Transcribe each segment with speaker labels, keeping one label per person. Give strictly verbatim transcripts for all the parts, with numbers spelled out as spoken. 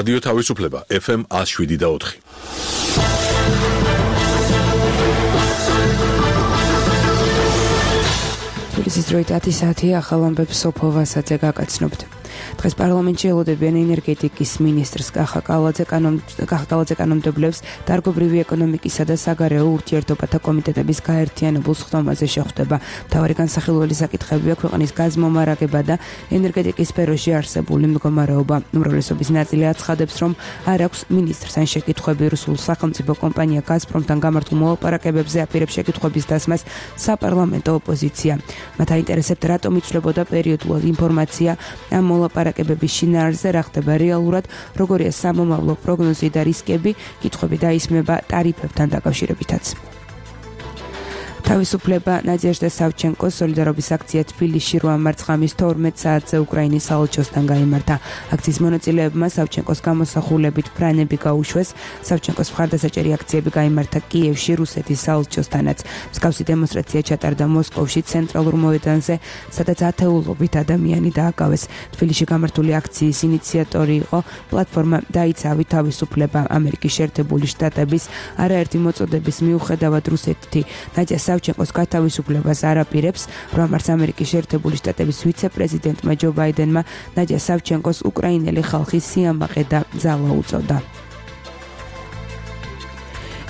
Speaker 1: რადიო თავისუფლება ეფ ემ one oh seven და four.
Speaker 2: თბილისის დროით ათი საათი ახალ ამბებს სოფო ვასაძე გაკაცნობთ. დღეს პარლამენტში ელოდებიან ენერგეტიკის მინისტრს კახა კალაძე კანონმდებლებს დარგობრივი ეკონომიკისა და საგარეო ურთიერთობათა კომიტეტების გაერთიანებულ სხდომაზე შეხვდება. მთავარი განსახილველი საკითხებია ქვეყნის გაზმომარაგება და ენერგეტიკის სფეროში არსებული მდგომარეობა. უმრავლესობის ნაწილი აცხადებს, რომ არ აქვს მინისტრს ან შეკითხვები რუსულ სახელმწიფო კომპანია გაზპრომთან გამართულ მოლაპარაკებებზე აპირებს შეკითხვების დასმას საპარლამენტო ოპოზიცია. მათ აინტერესებთ, რატომ იცვლებოდა პერიოდულად ინფორმაცია ამ მოლაპარაკებების შინაარსზე, რა ხდება რეალურად, როგორია სამომავლო პროგნოზი და რისკები, კითხვები დაისმება ტარიფებთან დაკავშირებითაც. თავისუფლება ნადეჟდა სავჩენკოს სოლიდარობის აქცია თბილისში რვა მარტს ღამის თორმეტ საათზე უკრაინის საელჩოსთან გაიმართა. აქციის მონაწილეებმა სავჩენკოს გამოსახულებით ფრანები გაუშვეს. სავჩენკოს მხარდასაჭერი აქციები გაიმართა კიევში რუსეთის საელჩოსთანაც. მსგავსი დემონსტრაცია ჩატარდა მოსკოვში ცენტრალურ მოედანზე, სადაც ათეულობით ადამიანი დააკავეს. თბილისში გამართული აქციის ინიციატორი იყო პლატფორმა დაიცავი თავისუფლება. ამერიკის შეერთებული შტატების არაერთი მოწოდების მიუხედავად რუსეთი ნადია სავჩენკოს გათავისუფლებას არ აპირებს. რვა მარტს ამერიკის შეერთებული შტატების ვიცე-პრეზიდენტმა ჯო ბაიდენმა ნადია სავჩენკოს უკრაინელი ხალხის სიამაყე და ძალა უწოდა.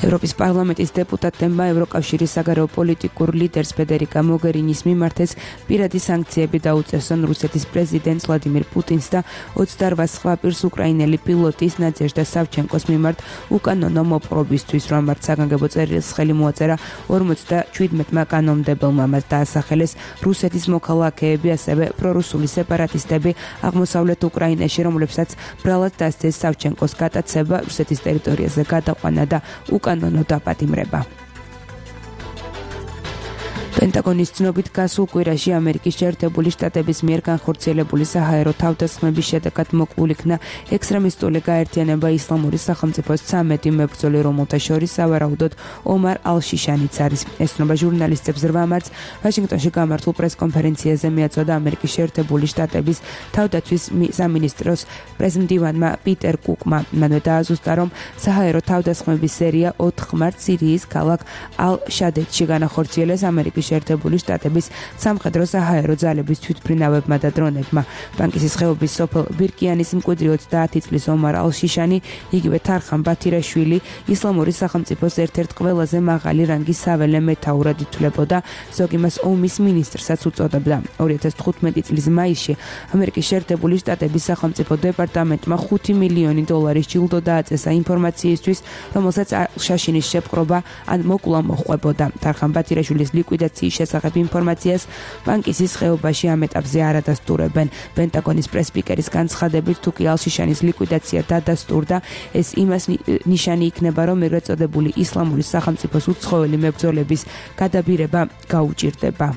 Speaker 2: ევროპის პარლამენტის დეპუტატებმა ევროკავშირის საგარეო პოლიტიკურ ლიდერს ფედერიკა მოგერინის მიმართეს პირადი სანქციები დაუწესონ რუსეთის პრეზიდენტს ვლადიმირ პუტინს და ოცდარვა სხვა პირს უკრაინელი პილოტის ნადეჟდა სავჩენკოს მიმართ უკანონო მოპყრობისთვის. რვა მარტს საგანგებო წერილს ხელი მოაწერა ორმოცდაჩვიდმეტმა კანონმდებელმა. მას დაასახელეს რუსეთის მოქალაქეები, ასევე პრორუსული სეპარატისტები აღმოსავლეთ უკრაინაში, რომლებსაც ბრალად დასცეს სავჩენკოს გატაცება, რუსეთის ტერიტორიაზე გადაყვანა და უკანონო დაპატიმრება. პენტაგონის ცნობით გასულ კვირაში ამერიკის შეერთებული შტატების მიერ განხორციელებული საჰაერო თავდასხმების შედეგად მოკლულ იქნა ექსტრემისტული გაერთიანება ისლამური სახელმწიფოს ცამეტი მებრძოლი, რომელთა შორის სავარაუდოდ ომარ ალ-შიშანიც არის. ეს ცნობა ჟურნალისტებს რვა მარტს ვაშინგტონში გამართულ პრესკონფერენციაზე მიაწოდა ამერიკის შეერთებული შტატების თავდაცვის სამინისტროს პრეზიდენტმა პიტერ კუკმა. მანვე დააზუსტა, რომ საჰაერო თავდასხმების სერია ოთხ მარტს სირიის ქალაქ ალ-შადედში განახორციელეს ამერიკის შეერთებული შტატების სამხედრო საჰაერო ძალების თვითმფრინავებმა და დრონებმა. ბანკისის ხეობის სოფელ ბირკიანის მკვიდრი ოცდაათი წლის ომარ ალ-შიშანი, იგივე თარხან ბათირაშვილი ისლამური სახელმწიფოს ერთ-ერთ ყველაზე მაღალი რანგის საველე მეთაურად ითვლებოდა, ზოგი მას ომის მინისტრსაც უწოდებდა. ორი ათას თხუთმეტი წლის მაისში ამერიკის შეერთებული შტატების სახელმწიფო დეპარტამენტმა ხუთი მილიონი დოლარის ჯილდო დააწესა ინფორმაციისთვის, რომელსაც ალ-შაშინის შეპყრობა ან მოკლა მოჰყვებოდა. თარხან ბათირაშვილის ლიკვიდაციის შესახებ ინფორმაციას ბანკისის ხეობაში ამ ეტაპზე არ ადასტურებენ. პენტაგონის პრესპიკერის განცხადებით, თუ კი ალ-შიშანის ლიკვიდაცია დადასტურდა, ეს იმას ნიშანი იქნება, რომ ეგრეთ წოდებული ისლამური სახელმწიფოს უცხოელი მებრძოლების გადაბირება გაუჭირდება.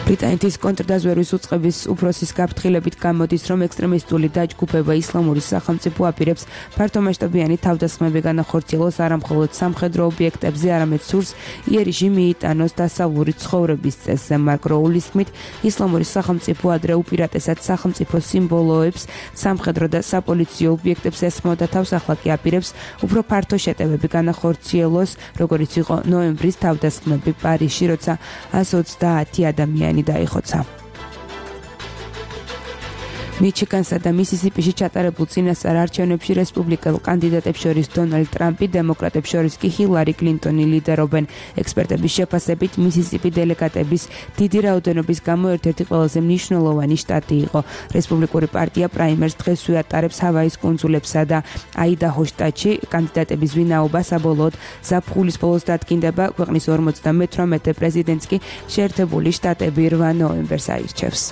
Speaker 2: ბრიტანეთის კონტრდაზვერვის უწყების უფროსის გაფრთხილებით გამოდის, რომ ექსტრემისტული დაჯგუფება ისლამური სახელმწიფო აპირებს ფართომასშტაბიანი თავდასხმები განახორციელოს არა მხოლოდ სამხედრო ობიექტებზე, არამედ სურს იერიში მიიტანოს დასავლური ცხოვრების წესზე. მარკ როულის თქმით, ისლამური სახელმწიფო ადრე უპირატესად სახელმწიფო სიმბოლოებს, სამხედრო და საპოლიციო ობიექტებს ესხმოდა თავს, ახლა კი აპირებს უფრო ფართო შეტევები განახორციელოს, როგორიც იყო ნოემბრის თავდასხმები პარიზში, როცა ას ოცდაათი ადამიანი დაიხოცა. მიჩიგანსა და მისისიპიში ჩატარებულ წინასწარ არჩევნებში რესპუბლიკელ კანდიდატებს შორის დონალდ ტრამპი, დემოკრატებს შორის კი ჰილარი კლინტონი ლიდერობენ. ექსპერტების შეფასებით, მისისიპი დელეგატების დიდი რაოდენობის გამო ერთ-ერთი ყველაზე მნიშვნელოვანი შტატი იყო. რესპუბლიკური პარტია პრაიმერს დღესვე ატარებს ჰავაის კუნძულებსა და აიდაჰოს შტატში. კანდიდატების ვინაობა საბოლოოდ ზაფხულის ბოლოს დადგინდება. ქვეყნის ორმოცდამეთვრამეტე პრეზიდენტს კი შეერთებული შტატები რვა ნოემბერს აირჩევს.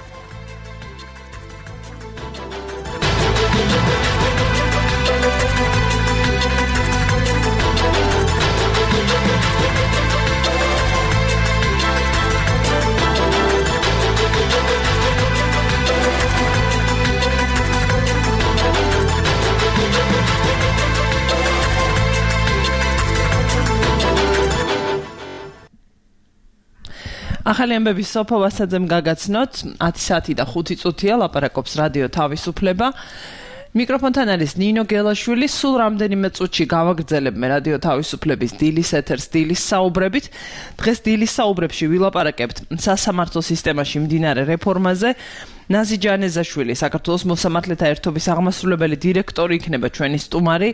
Speaker 3: ახალი ამბების სოფო ვასაძემ გაგაცნოთ ათი საათი და ხუთი წუთია ლაპარაკობს რადიო თავისუფლება. მიკროფონთან არის ნინო გელაშვილი. სულ რამდენიმე წუთში გავაგრძელებ მე რადიო თავისუფლების დილის ეთერს დილის საუბრებით. დღეს დილის საუბრებში ვილაპარაკებთ სასამართლო სისტემაში მდინარე რეფორმაზე. ნაზი ჯანეზაშვილი, საქართველოს მოსამართლეთა ერთობის აღმასრულებელი დირექტორი იქნება ჩვენი სტუმარი,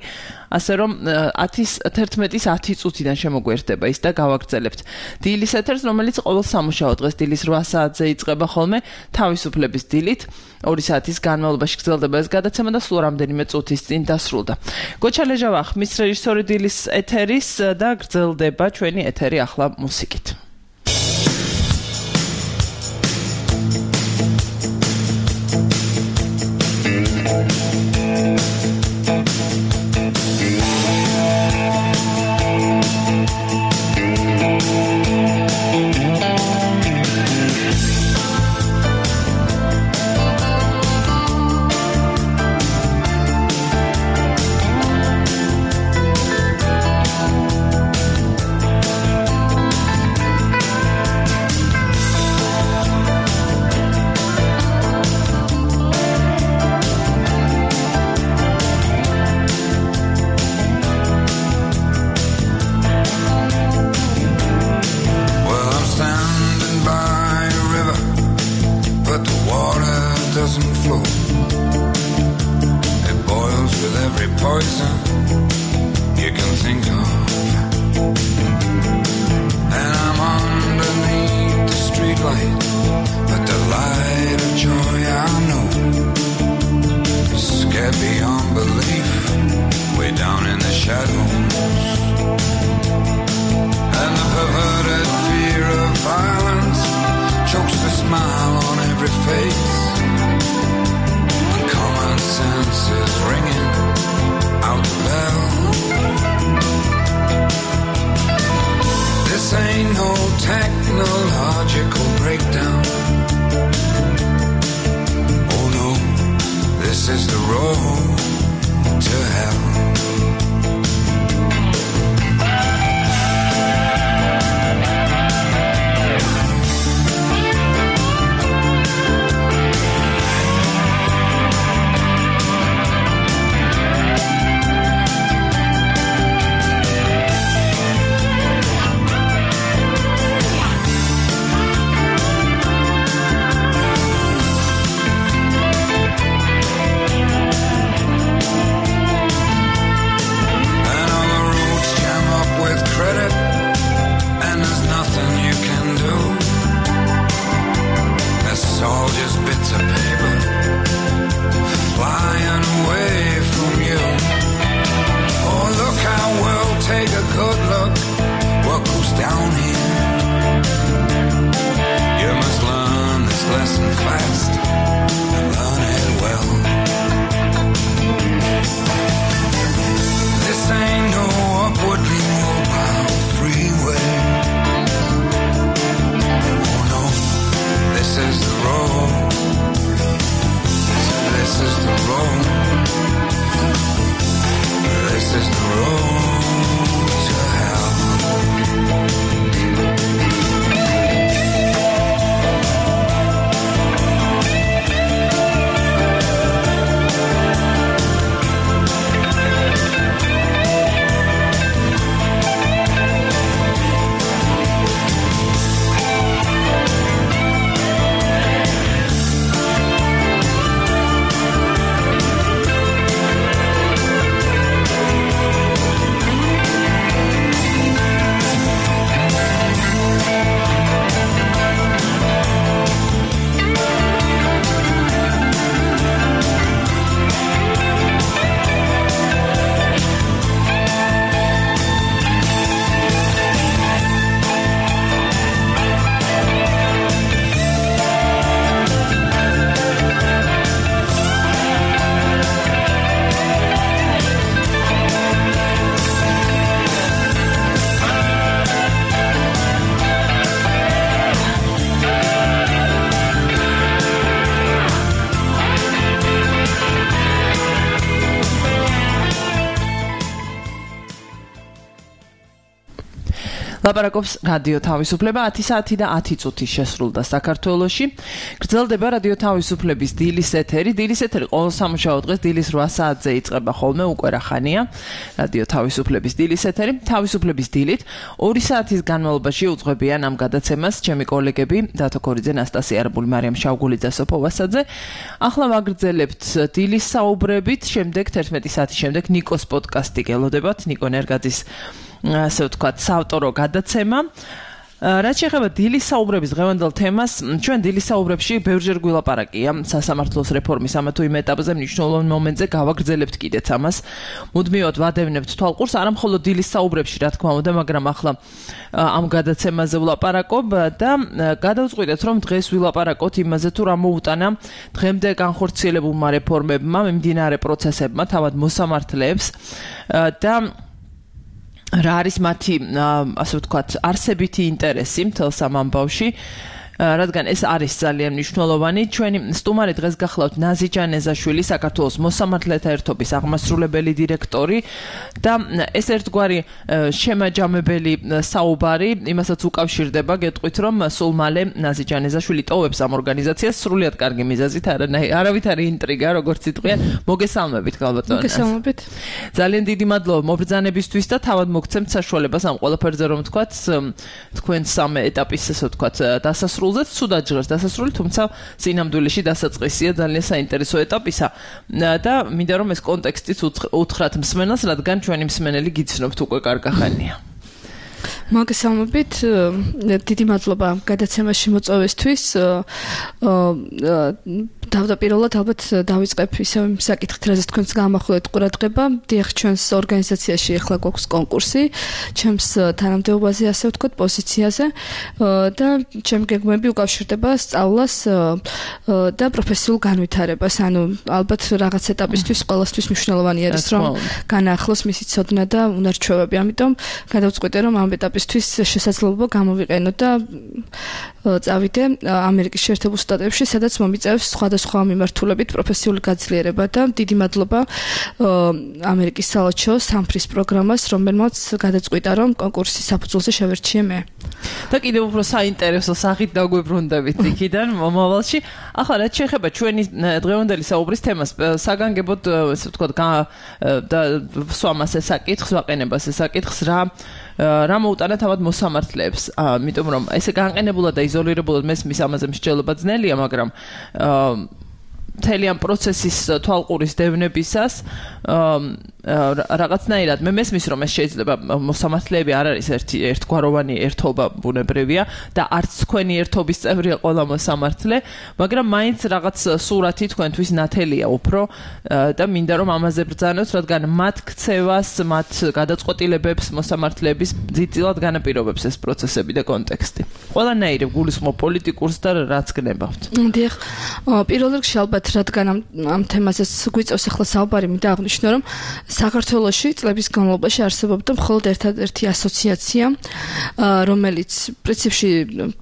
Speaker 3: ასე რომ ათის თერთმეტის ათი წუთიდან შემოგვერდება ის და გავაგრძელებთ დილის ეთერს, რომელიც ყოველ სამუშაო დღეს დილის რვა საათზე იწყება ხოლმე თავისუფლების დილით. ორი საათის განმავლობაში გრძელდება ეს გადაცემა და სულ რამდენიმე წუთის წინ დასრულდა. გოჩა ლეჟავა ხმის რეჟისორი დილის ეთერის და გრძელდება ჩვენი ეთერი ახლა მუსიკით. ლაპარაკობს რადიო თავისუფლება ათი საათი და ათი წუთი შესრულდა საქართველოში. გრძელდება რადიო თავისუფლების დილის ეთერი. დილის ეთერი ყოველ სამუშაო დღეს დილის რვა საათზე იწყება ხოლმე, უკვე რა ხანია. რადიო თავისუფლების დილის ეთერი. თავისუფლების დილით ორი საათის განმავლობაში უძღვებიან ამ გადაცემას ჩემი კოლეგები დათო კორიძე, ნასტასია არაბული, მარიამ შავგულიძე, სოფო ვასაძე. ახლა ვაგრძელებთ დილის საუბრებით, შემდეგ თერთმეტი საათის შემდეგ ნიკოს პოდკასტი გელოდებათ, ნიკო ნერგაძის ასე ვთქვათ, საავტორო გადაცემა. რაც შეეხება დილის საუბრების დღევანდელ თემას, ჩვენ დილის საუბრებში ბევრჯერ გვილაპარაკია სასამართლოს რეფორმის ამა თუ იმ ეტაპზე მნიშვნელოვან მომენტზე გავაგრძელებთ კიდეც ამას. მუდმივად ვადევნებთ თვალყურს, არა მხოლოდ დილის საუბრებში, რა თქმა უნდა, მაგრამ ახლა ამ გადაცემაზე ვლაპარაკობ და გადავწყვიტეთ, რომ დღეს ვილაპარაკოთ იმაზე, თუ რა მოუტანა დღემდე განხორციელებულმა რეფორმებმა, მიმდინარე პროცესებმა, თავად მოსამართლეებს და რა არის მათი, ასე ვთქვათ, არსებითი ინტერესი მთელს ამ ამბავში, რადგან ეს არის ძალიან მნიშვნელოვანი. ჩვენი სტუმარი დღეს გახლავთ ნაზი ჯანეზაშვილი, საქართველოს მოსამართლეთა ერთობის აღმასრულებელი დირექტორი და ეს ერთგვარი შემაჯამებელი საუბარი იმასაც უკავშირდება, გეტყვით, რომ სულ მალე ნაზი ჯანეზაშვილი ტოვებს ამ ორგანიზაციას სრულიად კარგი მიზეზით, არავითარი ინტრიგა, როგორც იტყვიან. მოგესალმებით, გალბატონო.
Speaker 4: მოგესალმებით.
Speaker 3: ძალიან დიდი მადლობა მობრძანებისთვის და თავად მოგცემთ საშუალებას ამ ყველაფერზე, რომ თქვათ, თქვენ სამ ეტაპის, ასე ვთქვათ, დასასრულ სუდად ჟღერს დასასრული, თუმცა სინამდვილეში დასაწყისია ძალიან საინტერესო ეტაპისა და მინდა რომ ეს კონტექსტიც უთხრათ მსმენელს, რადგან ჩვენი მსმენელი გიცნობთ უკვე კარგახანია.
Speaker 4: მოგესალმებით, დიდი მადლობა გადაცემაში მოწვევისთვის. თავდაპირველად ალბათ დავიწყებ ისევ იმ საკითხით, რაზეც თქვენს გამახვილეთ ყურადღება. დიახ, ჩვენს ორგანიზაციაში ახლა გვაქვს კონკურსი, ჩემს თანამდებობაზე, ასე ვთქვათ, პოზიციაზე და ჩემი გეგმები უკავშირდება სწავლას და პროფესიულ განვითარებას. ანუ ალბათ რაღაც ეტაპისთვის ყველასთვის მნიშვნელოვანი არის, რომ განაახლოს მისი ცოდნა და უნარჩვევები. ამიტომ გადავწყვიტე, რომ ამ ეტაპისთვის შესაძლებლობა გამოვიყენო და წავიდე ამერიკის შეერთებულ შტატებში, სადაც მომიწევს სხვადასხვა მიმართულებით პროფესიული გაძლიერება და დიდი მადლობა ამერიკის საელჩო სამფრის პროგრამას, რომელმაც გადაწყვიტა, რომ კონკურსის საფუძველზე შევერჩიე მე.
Speaker 3: და კიდევ უფრო საინტერესო სახით დაგვებრუნდებით იქიდან მომავალში. ახლა რაც შეეხება ჩვენი დღევანდელი საუბრის თემას, საგანგებოდ, ასე ვთქვათ, და სვამას ეს საკითხს, ვაყენებას ეს საკითხს, რა რა მოუტანა თავად მოსამართლეებს, იმიტომ რომ ესე განყენებულად და იზოლირებულად მესმის ამაზე მსჯელობა ძნელია, მაგრამ მთელი ამ პროცესის თვალყურის დევნებისას რაღაცნაირად მე მესმის რომ ეს შეიძლება მოსამართლეები არ არის ერთი ერთგვაროვანი ერთობა ბუნებრივია და არც თქვენი ერთობის წევრია ყველა მოსამართლე, მაგრამ მაინც რაღაც სურათი თქვენთვის ნათელია უფრო და მინდა რომ ამაზე ბრძანოთ, რადგან მათ ქცევას, მათ გადაწყვეტილებებს მოსამართლეების ძირწილად განაპირობებს ეს პროცესები და კონტექსტი. ყველანაირი გულისხმობ პოლიტიკურს და რაც გნებავთ.
Speaker 4: დიახ, პირველ რიგში ალბათ რადგან ამ ამ თემაზეც გვიწევს ახლა საუბარი, მინდა აღნიშნო, რომ საქართველოში წლების განმავლობაში არსებობდა მხოლოდ ერთადერთი ასოციაცია, რომელიც პრინციპში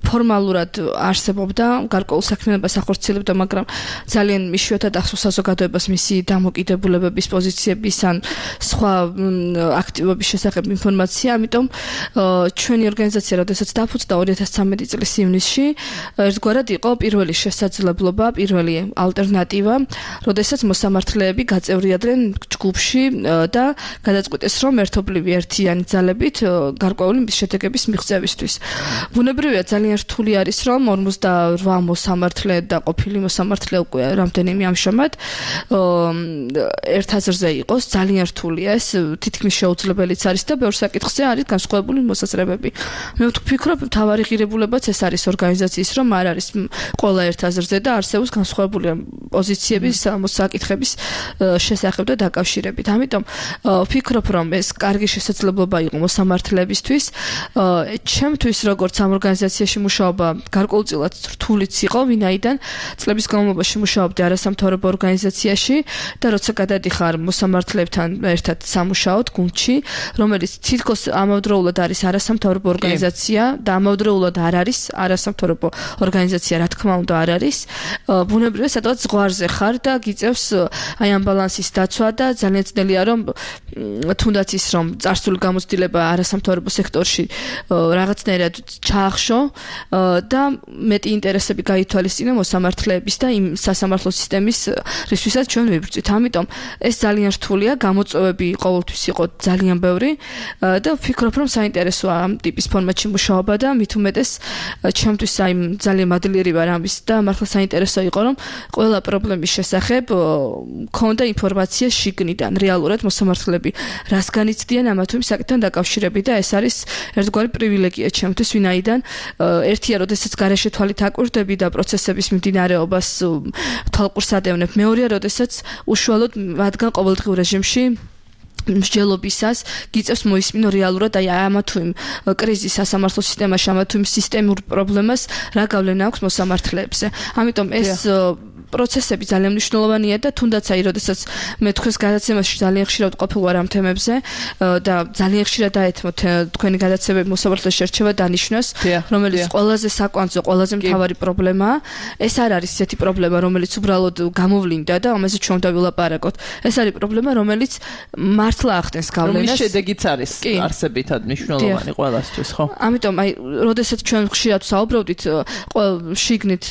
Speaker 4: ფორმალურად არსებობდა, გარკვეულ საქმიანობას ახორციელებდა, მაგრამ ძალიან იშვიათად ახსოვს საზოგადოებას მისი დამოკიდებულებების, პოზიციების ან სხვა აქტივობის შესახებ ინფორმაცია. ამიტომ ჩვენი ორგანიზაცია, როდესაც დაფუძნდა ორი ათას ცხრამეტი წლის ივნისში, ერთგვარად იყო პირველი შესაძლებლობა, პირველი ალტერნატივა, როდესაც მოსამართლეები გაწევრიადნენ ჯგუფში და გადაწყვიტეს, რომ ერთობლივი ერთიანი ძალებით გარკვეული შედეგების მიღწევისთვის. ბუნებრივია ძალიან რთული არის, რომ ორმოცდაორ მოსამართლე და ყოფილი მოსამართლე უკვე რამდენიმე ამჟამად ერთ აზრზე იყოს, ძალიან რთულია ეს, თითქმის შეუძლებელიც არის და ბევრ საკითხზე არის განსხვავებული მოსაზრებები. მე ვფიქრობ, მთავარი ღირებულებაც ეს არის ორგანიზაციის, რომ არ არის ყველა ერთ აზრზე და არსებობს განსხვავებული პოზიციების საკითხების შესახებ და დაკავშირებით. ამიტომ ვფიქრობ, რომ ეს კარგი შესაძლებლობა იყო მოსამართლეებისთვის. ჩემთვის როგორც ამ ორგანიზაციაში მუშაობა გარკვეულწილად რთულიც იყო, ვინაიდან წლების განმავლობაში მუშაობდი არასამთავრობო ორგანიზაციაში და როცა გადადიხარ მოსამართლეებთან ერთად სამუშაოდ გუნდში, რომელიც თითქოს ამავდროულად არის არასამთავრობო ორგანიზაცია და ამავდროულად უნდა არ არის, არასამთავრობო ორგანიზაცია რა თქმა უნდა არ არის. ბუნებრივია სადღაც ზღვარზე ხარ და გიწევს აი ამ ბალანსის დაცვა და ძალიან ძნელია რომ თუნდაც ის რომ წარსული გამოცდილება არასამთავრობო სექტორში რაღაცნაირად ჩაახშო და მეტი ინტერესები გაითვალისწინო მოსამართლეების და იმ სასამართლო სისტემის რისთვისაც ჩვენ ვიბრძვით. ამიტომ ეს ძალიან რთულია, გამოწვევები ყოველთვის იყო ძალიან ბევრი და ვფიქრობ რომ საინტერესოა ამ ტიპის ფორმატში მუშაობა და მით უმეტეს ჩემთვის აი ძალიან მადლიერი ვარ ამის და მართლა საინტერესო იყო რომ ყველა პრობლემის შესახებ მქონდა ინფორმაცია შიგნიდან რეალურად მოსამართლეები რას განიცდიან ამა თუ იმ საკითხთან დაკავშირებით და ეს არის ერთგვარი პრივილეგია ჩემთვის, ვინაიდან ერთია როდესაც გარეშე თვალით აკვირდები და პროცესების მიმდინარეობას თვალყურს ადევნებ, მეორეა როდესაც უშუალოდ მათგან ყოველდღიურ რეჟიმში მსჯელობისას გიწევს მოისმინო რეალურად აი ამა თუ იმ კრიზის სასამართლო სისტემაში, ამა თუ იმ სისტემურ პრობლემას რა გავლენა აქვს მოსამართლეებზე. ამიტომ ეს პროცესები ძალიან მნიშვნელოვანია და თუნდაც აი როდესაც მე თქვენს გადაცემაში ძალიან ხშირად ყოფილ ვარ ამ თემებზე და ძალიან ხშირად დაეთმოთ თქვენი გადაცემები მოსამართლეში შერჩევა დანიშნოს, რომელიც ყველაზე საკვანძო, ყველაზე მთავარი პრობლემაა. ეს არ არის ისეთი პრობლემა, რომელიც უბრალოდ გამოვლინდა და ამაზე ჩვენ უნდა ვილაპარაკოთ. ეს არის პრობლემა, რომელიც მართლა ახდენს გავლენას.
Speaker 3: რომლის შედეგიც არის არსებითად მნიშვნელოვანი ყველასთვის, ხო?
Speaker 4: ამიტომ აი როდესაც ჩვენ ხშირად საუბრობდით შიგნით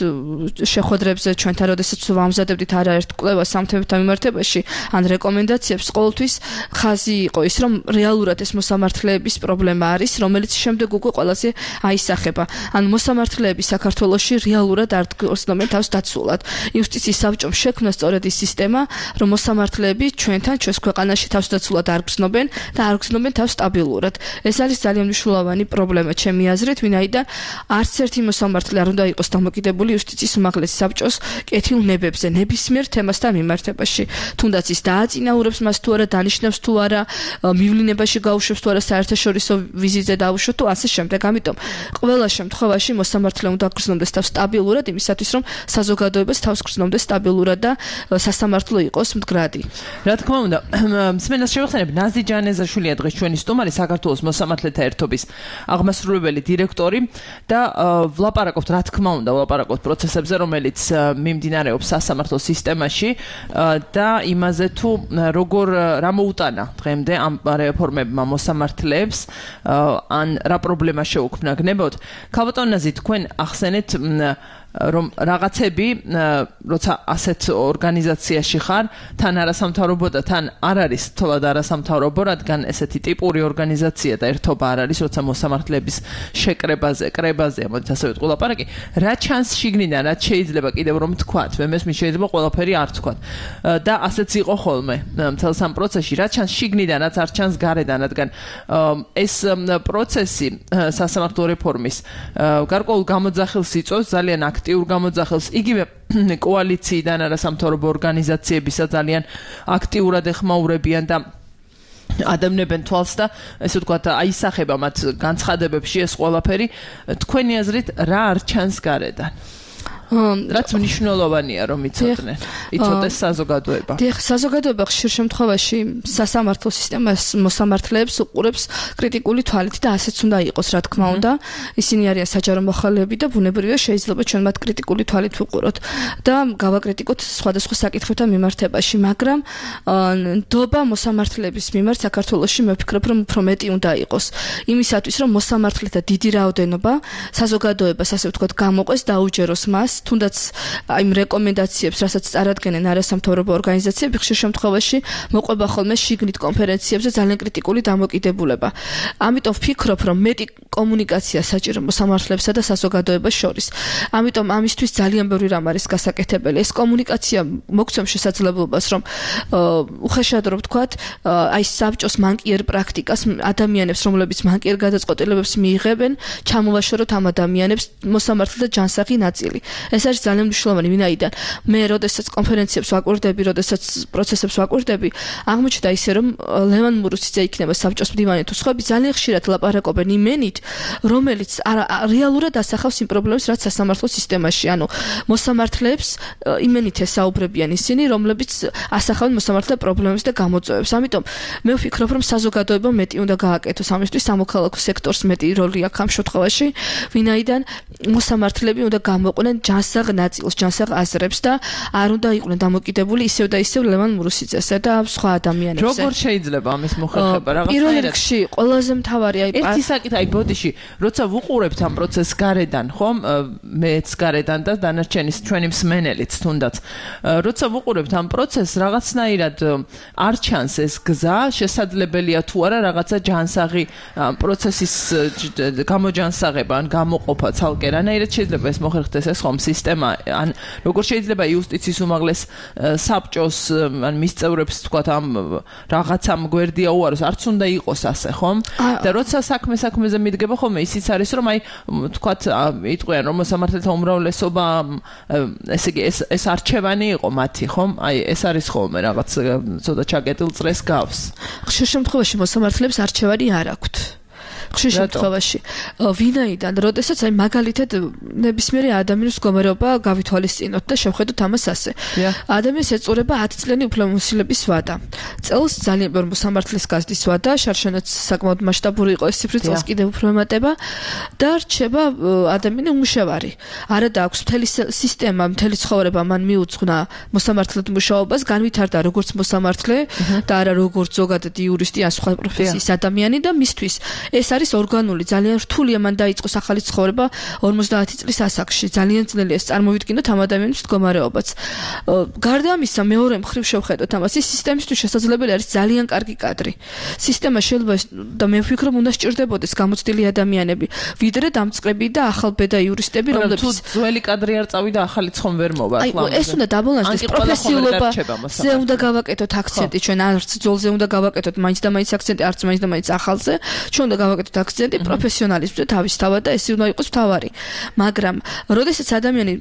Speaker 4: შეხვედრებზე ჩვენთან როდესაც ვამზადებდით არაერთ კვლევას ამ თემებთან მიმართებაში ან რეკომენდაციებს, ყოველთვის ხაზი იყო ის რომ რეალურად ეს მოსამართლეების პრობლემა არის, რომელიც შემდეგ უკვე ყველაზე აისახება. ან მოსამართლეები საქართველოში რეალურად არ გრძნობენ თავს დაცულად. იუსტიციის საბჭომ შექმნა სწორედ ის სისტემა, რომ მოსამართლეები ჩვენთან, ჩვენს ქვეყანაში თავს დაცულად არ გრძნობენ და არ გრძნობენ თავს სტაბილურად. ეს არის ძალიან მნიშვნელოვანი პრობლემა ჩემი აზრით, ვინაიდან არც ერთი მოსამართლე არ უნდა იყოს დამოკიდებული იუსტიციის უმაღლესი საბჭოს კეთილნებებზე, ნებისმიერ თემასთან მიმართებაში. თუნდაც ის დააწინაურებს მას თუ არა, დანიშნავს თუ არა, მივლინებაში გაუშვებს თუ არა, საერთაშორისო ვიზიტზე დაუშვებს თუ ასე შემდეგ. ამიტომ ყველა შემთხვევაში მოსამართლე უნდა გრძნობდეს თავს სტაბილურად, იმისათვის რომ საზოგადოებას თავს გრძნობდეს სტაბილურად და სასამართლო იყოს მდგრადი.
Speaker 3: რა თქმა უნდა, მსმენელს შევეხსენებ, ნაზი ჯანეზაშვილია დღეს ჩვენი სტუმარი, საქართველოს მოსამართლეთა ერთობის აღმასრულებელი დირექტორი და ვლაპარაკობთ, რა თქმა უნდა, ვლაპარაკობთ პროცესებზე, რომელიც მიმდინარეობს სასამართლო სისტემაში და იმაზე თუ როგორ რა მოუტანა დღემდე ამ რეფორმებმა მოსამართლეებს ან რა პრობლემა შეუქმნა გნებოთ. ქალბატონ ნაზი, თქვენ ახსენეთ რომ რაღაცები, როცა ასეთ ორგანიზაციაში ხარ, თან არასამთავრობო და თან არ არის თოლად არასამთავრობო, რადგან ესეთი ტიპური ორგანიზაცია და ერთობა არ არის, როცა მოსამართლეების შეკრებაზე, კრებაზე, ამოდით ასე ვიტყვი ლაპარაკი, რა ჩანს შიგნიდან, რაც შეიძლება კიდევ რომ თქვათ, მე მესმის შეიძლება ყველაფერი არ თქვათ. და ასეც იყო ხოლმე მთელს ამ პროცესში, რა ჩანს შიგნიდან, რაც არ ჩანს გარედან, რადგან ეს პროცესი სასამართლო რეფორმის გარკვეულ გამოძახილს იწვევს, ძალიან აქტიურ გამოძახილს, იგივე კოალიციიდან არასამთავრობო ორგანიზაციებისა ძალიან აქტიურად ეხმაურებიან და ადევნებენ თვალს და ესე ვთქვათ, აისახება მათ განცხადებებში ეს ყველაფერი. თქვენი აზრით რა არ ჩანს გარედან? რაც მნიშვნელოვანია რომ იცოდნენ, იცოდეს საზოგადოება.
Speaker 4: დიახ, საზოგადოება ხშირ შემთხვევაში სასამართლო სისტემას მოსამართლეებს უყურებს კრიტიკული თვალით და ასეც უნდა იყოს, რა თქმა უნდა. ისინი არიან საჯარო მოხალეები და ბუნებრივია შეიძლება ჩვენ მათ კრიტიკული თვალით ვუყუროთ და გავაკრიტიკოთ სხვადასხვა საკითხებთან მიმართებაში, მაგრამ ნდობა მოსამართლეების მიმართ საქართველოში მე ვფიქრობ რომ უფრო მეტი უნდა იყოს. იმისათვის რომ მოსამართლეთა დიდი რაოდენობა საზოგადოებას ასე ვთქვათ გამოყვეს, დაუჯეროს მას თუნდაც იმ რეკომენდაციებს, რასაც წარადგენენ არასამთავრობო ორგანიზაციები, ხშირ შემთხვევაში მოყვება ხოლმე შიგნით კონფერენციებზე ძალიან კრიტიკული დამოკიდებულება. ამიტომ ვფიქრობ, რომ მეტი კომუნიკაცია საჭირო მოსამართლეებსა და საზოგადოებას შორის. ამიტომ ამისთვის ძალიან ბევრი რამ არის გასაკეთებელი. ეს კომუნიკაცია მოგცემს შესაძლებლობას, რომ უხეშად რომ ვთქვათ, აი საბჭოს მანკიერ პრაქტიკას ადამიანებს, რომლებიც მანკიერ გადაწყვეტილებებს მიიღებენ, ჩამოვაშოროთ ამ ადამიანებს მოსამართლეთა ჯანსაღი ნაწილი. ეს არის ძალიან მნიშვნელოვანი, ვინაიდან მე როდესაც კონფერენციებს ვაკვირდები, როდესაც პროცესებს ვაკვირდები, აღმოჩნდა ისე, რომ ლევან მურუსიძე იქნება საბჭოს მდივანი თუ სხვები ძალიან ხშირად ლაპარაკობენ იმენით, რომელიც რეალურად ასახავს იმ პრობლემებს, რაც სასამართლო სისტემაში, ანუ მოსამართლეებს იმენით ესაუბრებიან ისინი, რომლებიც ასახავენ მოსამართლე პრობლემებს და გამოწვევებს. ამიტომ მე ვფიქრობ, რომ საზოგადოება მეტი უნდა გააკეთოს ამისთვის, სამოქალაქო სექტორს მეტი როლი აქვს ამ შემთხვევაში, ვინაიდან მოსამართლეები უნდა გამოყვნენ ჯანსაღ ნაწილს, ჯანსაღ აზრებს და არ უნდა იყვნენ დამოკიდებული ისევ და ისევ ლევან მურუსიძესა და სხვა ადამიანებზე.
Speaker 3: როგორ შეიძლება ამის მოხერხება რაღაცა?
Speaker 4: პირველ რიგში ყველაზე მთავარი აი
Speaker 3: ერთი საკითხი აი ბოდიში, როცა ვუყურებთ ამ პროცესს გარედან, ხომ? მეც გარედან და დანარჩენი ჩვენი მსმენელიც თუნდაც. როცა ვუყურებთ ამ პროცესს, რაღაცნაირად არ ჩანს ეს გზა, შესაძლებელია თუ არა რაღაცა ჯანსაღი პროცესის გამოჯანსაღება ან გამოყოფა ცალკე რანაირად შეიძლება ეს მოხერხდეს ეს ხომ სისტემა ან როგორ შეიძლება იუსტიციის უმაღლეს საბჭოს ან მის წევრებს თქვათ ამ რაღაცამ გვერდია უაროს არც უნდა იყოს ასე ხომ და როცა საქმე საქმეზე მიდგება ხოლმე ისიც არის რომ აი თქვათ იტყვიან რომ მოსამართლეთა უმრავლესობა ესე იგი ეს ეს არჩევანი იყო მათი ხომ აი ეს არის ხოლმე რაღაც ცოტა ჩაკეტილ წრეს გავს
Speaker 4: ხშირ შემთხვევაში მოსამართლეებს არჩევანი არ აქვთ ხშირ შემთხვევაში ვინაიდან როდესაც აი მაგალითად ნებისმიერი ადამიანის მდგომარეობა გავითვალისწინოთ და შევხედოთ ამას ასე ადამიანს ეწურება ათი წლიანი უფლებამოსილების ვადა წელს ძალიან ბევრი მოსამართლის გაზრდის ვადა შარშანაც საკმაოდ მასშტაბური იყო ეს ციფრი წელს კიდევ უფრო ემატება და რჩება ადამიანი უმუშევარი არა და აქვს მთელი სისტემა მთელი ცხოვრება მან მიუძღვნა მოსამართლედ მუშაობას განვითარდა როგორც მოსამართლე და არა როგორც ზოგადად იურისტი ან სხვა პროფესიის ადამიანი და მისთვის ეს არის ორგანული ძალიან რთულია მან დაიწყოს ახალი ცხოვრება ორმოცდაათი წლის ასაკში ძალიან ძნელია ეს წარმოვიდგინოთ ამ ადამიანის მდგომარეობაც გარდა ამისა მეორე მხრივ შევხედოთ ამას ის სისტემისთვის შესაძლებელი არის ძალიან კარგი კადრი სისტემა შეიძლება და მე ვფიქრობ უნდა სჭირდებოდეს გამოცდილი ადამიანები ვიდრე დამწყები და ახალბედა იურისტები რომლებიც
Speaker 3: თუ ძველი კადრი არ წავიდა ახალი ცხომ ვერ მოვა
Speaker 4: ახლა ეს უნდა დაბალანსდეს პროფესიულობა ზე უნდა გავაკეთოთ აქცენტი ჩვენ არც ძოლზე უნდა გავაკეთოთ მაინც და მაინც აქცენტი არც მაინც და მაინც ახალზე ჩვენ უნდა გავაკეთოთ აქცენტი პროფესიონალიზმზე თავისთავად და ეს უნდა იყოს მთავარი მაგრამ როდესაც ადამიანი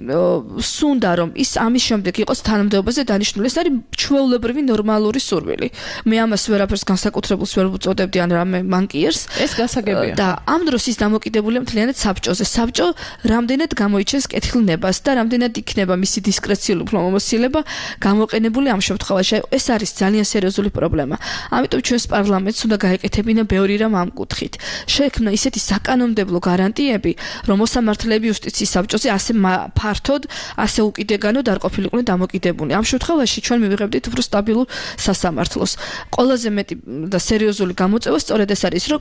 Speaker 4: სუნდა რომ ის ამის შემდეგ იყოს თანამდებობაზე დანიშნული ეს არის ჩვეულებრივი ნორმალური სურვილი მე ამას ვერაფერს განსაკუთრებულს ვერ ვუწოდებდი ან რამე მანკიერს
Speaker 3: ეს გასაგებია
Speaker 4: და ამ დროს ის დამოკიდებულია მთლიანად საბჭოზე საბჭო რამდენად გამოიჩენს კეთილნებას და რამდენად იქნება მისი დისკრეციული უფლებამოსილება გამოყენებული ამ შემთხვევაში ეს არის ძალიან სერიოზული პრობლემა ამიტომ ჩვენს პარლამენტს უნდა გაეკეთებინა ბევრი რამ ამ კუთხით შექმნა ისეთი საკანონმდებლო გარანტიები, რომ მოსამართლეები იუსტიციის საბჭოზე ასე ფართოდ, ასე უკიდეგანოდ არ ყოფილიყვნენ დამოკიდებული. ამ შემთხვევაში ჩვენ მივიღებდით უფრო სტაბილურ სასამართლოს. ყველაზე მეტი და სერიოზული გამოწვევა სწორედ ეს არის, რომ